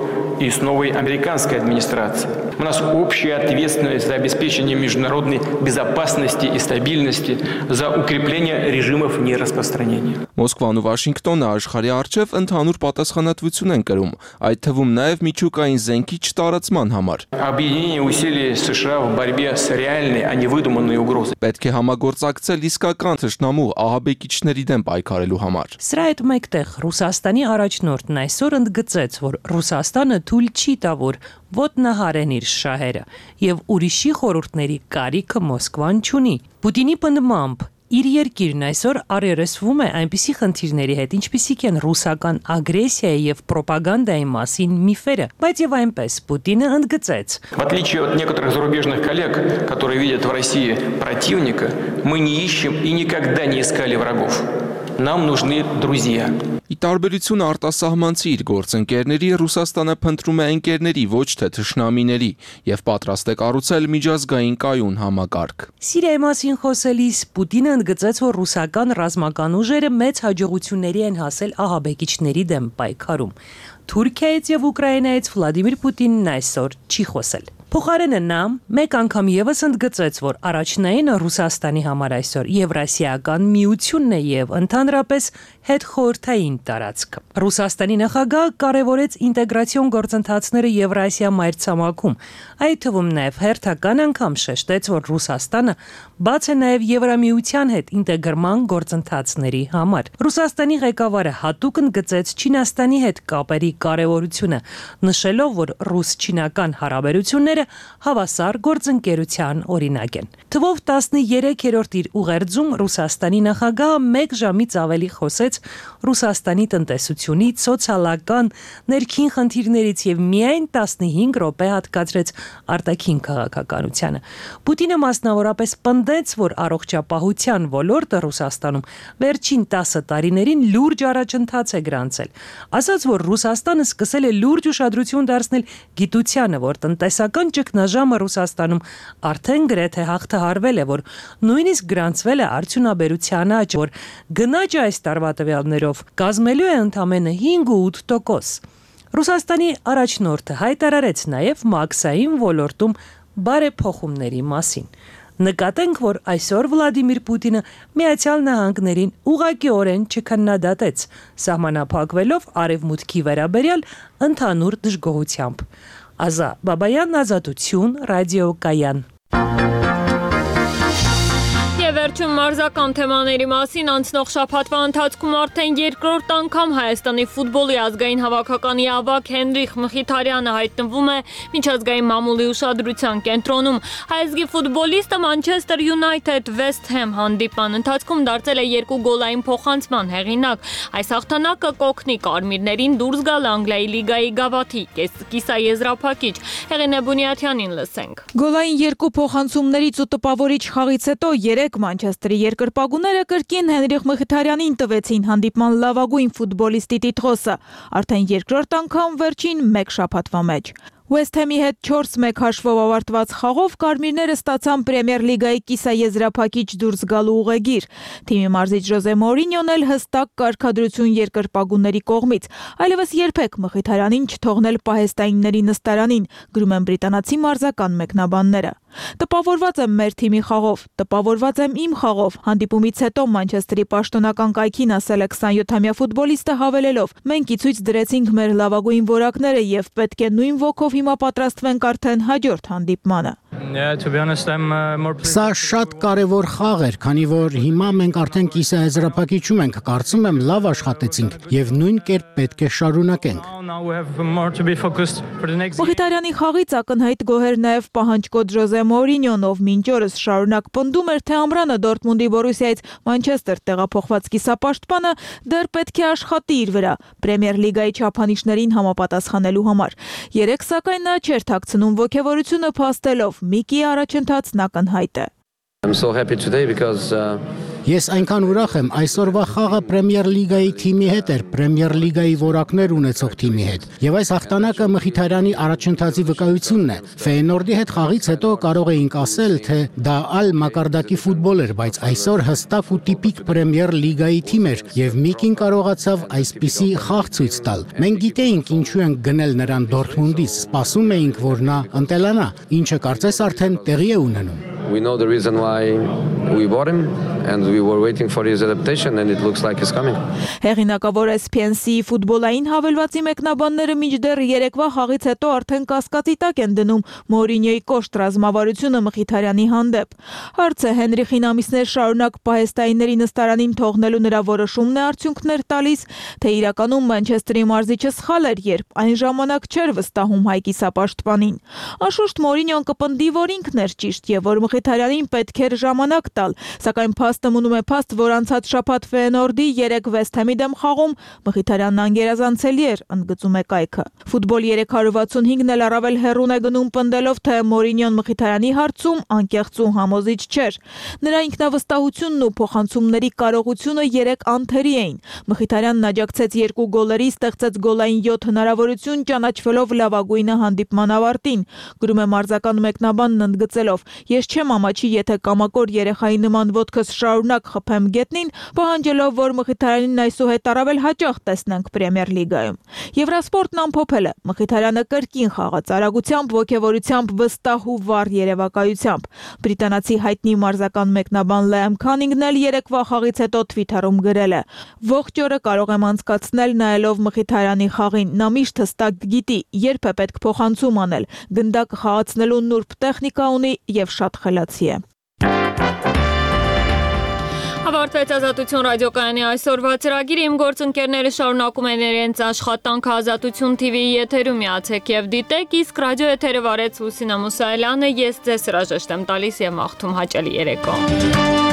и с новой американской администрацией. У нас общая ответственность за обеспечение международной безопасности и стабильности, за укрепление режимов нераспространения. Մոսկվան ու Վաշինգտոնը աշխարհի առջև ընդհանուր պատասխանատվություն են կրում, այդ թվում նաև միջուկային զենքի չտարածման համար։ Объединение усилий США в борьбе с реальной, а не выдуманной угрозой. Պետք է համագործակցել իսկական թշնամու ահաբեկիչների դեմ պայքարելու համար։ Սրա հետ մեկտեղ Ռուսաստանի առաջնորդն այսօր ընդգծեց, որ Ռուսաստանը թույլ չի տա, որ ոտնահարեն իր շահերը, եւ ուրիշի խորհուրդների կարիքը Մոսկվան չունի։ Պուտինի պնդմամբ իր երկիրն այսօր առերեսվում է այնպիսի խնդիրների հետ, ինչպիսիք են ռուսական ագրեսիայի եւ պրոպագանդայի մասին միֆերը, բայց եւ այնպես Պուտինը ընդգծեց. В отличие от некоторых зарубежных коллег, которые видят в России противника, мы не ищем и никогда не искали врагов. Нам нужны друзья. Ի տարբերություն արտասահմանցի իր գործընկերների, Ռուսաստանը փնտրում է ընկերների, ոչ թե թշնամիների, եւ պատրաստ է կառուցել միջազգային կայուն համակարգ։ Սիրիայի մասին խոսելիս Պուտինը ընդգծեց, որ ռուսական ռազմական ուժերը մեծ հաջողությունների են հասել ահաբեկիչների դեմ պայքարում։ Թուրքիայից եւ Ուկրաինայից Վլադիմիր Պուտինն այսօր չի խոսել։ Փոխարենը նա մեկ անգամ եւս ընդգծեց, որ առաջնայինը Ռուսաստանի համար այսօր Եվրասիական միությունն է եւ ընդհանրապես հետխորհրդային տարածքը։ Ռուսաստանի նախագահը կարևորեց ինտեգրացիոն գործընթացները Եվրասիա մայրցամաքում, այդ թվում նաեւ հերթական անգամ շեշտեց, որ Ռուսաստանը բաց է նաեւ Եվրամիության հետ ինտեգրման գործընթացների համար։ Ռուսաստանի ղեկավարը հատուկ ընդգծեց Չինաստանի հետ կապերի կարևորությունը, նշելով, որ ռուս-չինական հարաբերությունները հավասար գործընկերության օրինակ են։ Թվով տասներեքերորդ իր ուղերձում Ռուսաստանի նախագահը մեկ ժամից ավելի խոսեց Ռուսաստանի տնտեսությունից, սոցիալական, ներքին խնդիրներից եւ միայն տասնհինգ րոպե հատկացրեց արտաքին քաղաքականությանը։ Պուտինը մասնավորապես պնդեց, որ առողջապահության ոլորտը Ռուսաստանում վերջին տասը տարիներին լուրջ առաջընթաց է գրանցել։ Ասաց, որ Ռուսաստանը սկսել է լուրջ ուշադրություն դարձնել գիտությանը, որ տնտեսական ճգնաժամը Ռուսաստանում արդեն գրեթե հաղթահարվել է, որ նույնիսկ գրանցվել է արդյունաբերության աճ, որ գնաճը այս տարվա տվյալներով կազմելու է ընդամենը հինգ ու ութ տոկոս։ Ռուսաստանի առաջնորդը հայտարարեց նաև մաքսային ոլորտում բարեփոխումների մասին։ Նկատենք, որ այսօր Վլադիմիր Պուտինը Միացյալ Նահանգներին ուղղակիորեն չքննադատեց, սահմանափակվելով արևմուտքի վերաբերյալ ընդհանուր դժգոհությամբ։ Ազա Բաբայան, Ազատություն, Ռադիոկայան։ Վերջում մարզական թեմաների մասին անցնող շաբաթվա ընթացքում արդեն երկրորդ անգամ Հայաստանի ֆուտբոլի ազգային հավաքականի ավագ Հենրիխ Մխիթարյանը հայտնվում է միջազգային մամուլի ուշադրության կենտրոնում։ Հայազգի ֆուտբոլիստը Մանչեսթեր Յունայթեդ Վեսթ Հեմ հանդիպման ընթացքում դարձել է երկու գոլային փոխանցման հեղինակ։ Այս հաղթանակը կօգնի կարմիրներին դուրս գալ Անգլիայի լիգայի գավաթի կիսաեզրափակիչ։ Հեղինե Բունյաթյանին լսենք։ Գոլային երկու փոխանցումներից ու տպավորիչ խաղից հետո երեք Մանչեսթերի երկրպագուները կրկին Հենրիխ Մխիթարյանին տվեցին հանդիպման լավագույն ֆուտբոլիստի տիտղոսը, արդեն երկրորդ անգամ վերջին մեկ շաբաթվա մեջ։ West Ham-ի հետ չորս մեկ հաշվով ավարտված խաղով կարմիրները ստացան Պրեմիեր լիգայի կիսաեզրափակիչ դուրս գալու ուղեգիր։ Թիմի մարզիչ Ժոզե Մորինյոն էլ հստակ կարգադրություն երկրպագուների կողմից, այլևս երբեք Մխիթարյանին չթողնել պահեստայինների նստարանին, գրում են բրիտանացի մարզական մեկնաբանները։ Տպավորված եմ մեր թիմի խաղով, տպավորված եմ իմ խաղով։ Հանդիպումից հետո Մանչեսթերի պաշտոնական կայքին ասել է քսանյոթամյա ֆուտբոլիստը հավելելով. մենք ի ցույց դրեցինք մեր լավագույն որակները եւ պետք է նույն ոգով հիմա պատրաստվենք արդեն հաջորդ հանդիպմանը։ Սա շատ կարևոր խաղ էր, քանի որ հիմա մենք արդեն կիսաեզրափակիչում ենք, կարծում եմ լավ աշխատեցինք եւ նույն կերպ պետք է շարունակենք։ Մխիթարյանի խաղից ակնհայտ գոհեր նաև պահանջկոտ Ժոզե Մորինյոն, ով մինչ օրս շարունակ պնդում էր, թե ամռանը Դորտմունդի Բորուսիայից Մանչեսթեր տեղափոխված կիսապաշտպանը դեռ պետք է աշխատի իր վրա Պրեմիեր լիգայի չափանիշներին համապատասխանելու համար։ Երեք սակայն նա չէր թաքցնում ոգևորությունը փաստելով Միկի առաջընթացն ակնհայտ է։ I'm so happy today because uh... Ես այնքան ուրախ եմ, այսօրվա խաղը Պրեմիեր լիգայի թիմի հետ էր, Պրեմիեր լիգայի որակներ ունեցող թիմի հետ։ Եվ այս հաղթանակը Մխիթարյանի առաջընթացի վկայությունն է։ Ֆեյենորդի հետ խաղից հետո կարող էինք ասել, թե դա այլ մակարդակի ֆուտբոլ էր, բայց այսօր հստակ ու տիպիկ Պրեմիեր լիգայի թիմ էր, եւ Միկին կարողացավ այսպիսի խաղ ցույց տալ։ Մենք գիտեինք ինչու ենք գնել նրան Դորտմունդից, սպասում էինք, որ նա ընտելանա, ինչը կարծես արդեն տեղի է ունենում։ We know the reason why we bought him and we were waiting for his adaptation and it looks like he's coming. Հեղինակավոր S P N C-ի ֆուտբոլային հավելվածի մեկնաբանները մինչդեռ երեկվա խաղից հետո արդեն կասկածի տակ են դնում Մորինյոյի կոշտ ռազմավարությունը Մխիթարյանի հանդեպ։ Հարցը Հենրիխին ամիսներ շարունակ պահեստայինների նստարանին թողնելու նրա որոշումն է արդյունքներ տալիս, թե իրականում Մանչեսթերի մարզիչը սխալ էր, երբ այն ժամանակ չէր վստահում հայ կիսապաշտպանին։ Անշուշտ Մորինյոն կպնդի, որ ինքն էր ճիշտ եւ որ Մխիթարյանին պետք էր ժամանակ տալ, սակայն փաստը մնում է փաստ, որ անցած շաբաթ Ֆեյենորդի երեք Վեսթ Հեմի դեմ խաղում Մխիթարյանն անգերազանցելի էր, ընդգծում է կայքը։ Ֆուտբոլ երեք հարյուր վաթսունհինգն էլ առավել հեռուն է գնում պնդելով, թե Մորինյոն Մխիթարյանի հարցում անկեղծ ու համոզիչ չէր։ Նրա ինքնավստահությունն ու փոխանցումների կարողությունը երեք անթերի էին։ Մխիթարյանն աջակցեց երկու գոլերի, ստեղծեց գոլային յոթ հնարավորություն, ճանաչվելով լավագույնը հանդիպման ավարտին։ Գրում է մարզական մեկնաբանն ընդգծելով. Ես չեմ ամաչի, եթե կամակոր երեխայի նման ոտքս շարունակ խփեմ գետնին, պահանջելով, որ Մխիթարյանին այսուհետ առավել հաճախ տեսնենք Պրեմիեր լիգայում։ Եվրասպորտն ամփոփել է. Մխիթարյանը կրկին խաղաց արագությամբ, ոգևորությամբ, վստահ ու վառ երևակայությամբ։ Բրիտանացի հայտնի մարզական մեկնաբան Լիամ Քանինգն էլ երեկվա խաղից հետո Twitter-ում գրել է. Ողջ օրը կարող եմ անցկացնել նայելով Մխիթարյանի խաղին։ Նա միշտ հստակ գիտի, երբ է պետք փոխանցում անել։ Գնդակը խաղացնելու նուրբ տեխնիկա ունի եւ շատ խելացի է։ Ավարտվեց Ազատություն ռադիոկայանի այսօրվա ծրագիրը։ Իմ գործընկերները շարունակում են իրենց աշխատանքը Ազատություն T V-ի եթերում, միացեք եւ դիտեք, իսկ ռադիո եթերը վարեց Լուսինա Մուսայելյանը, ես ձեզ հրաժեշտ եմ տալիս եւ մաղթում հաճելի երեկո։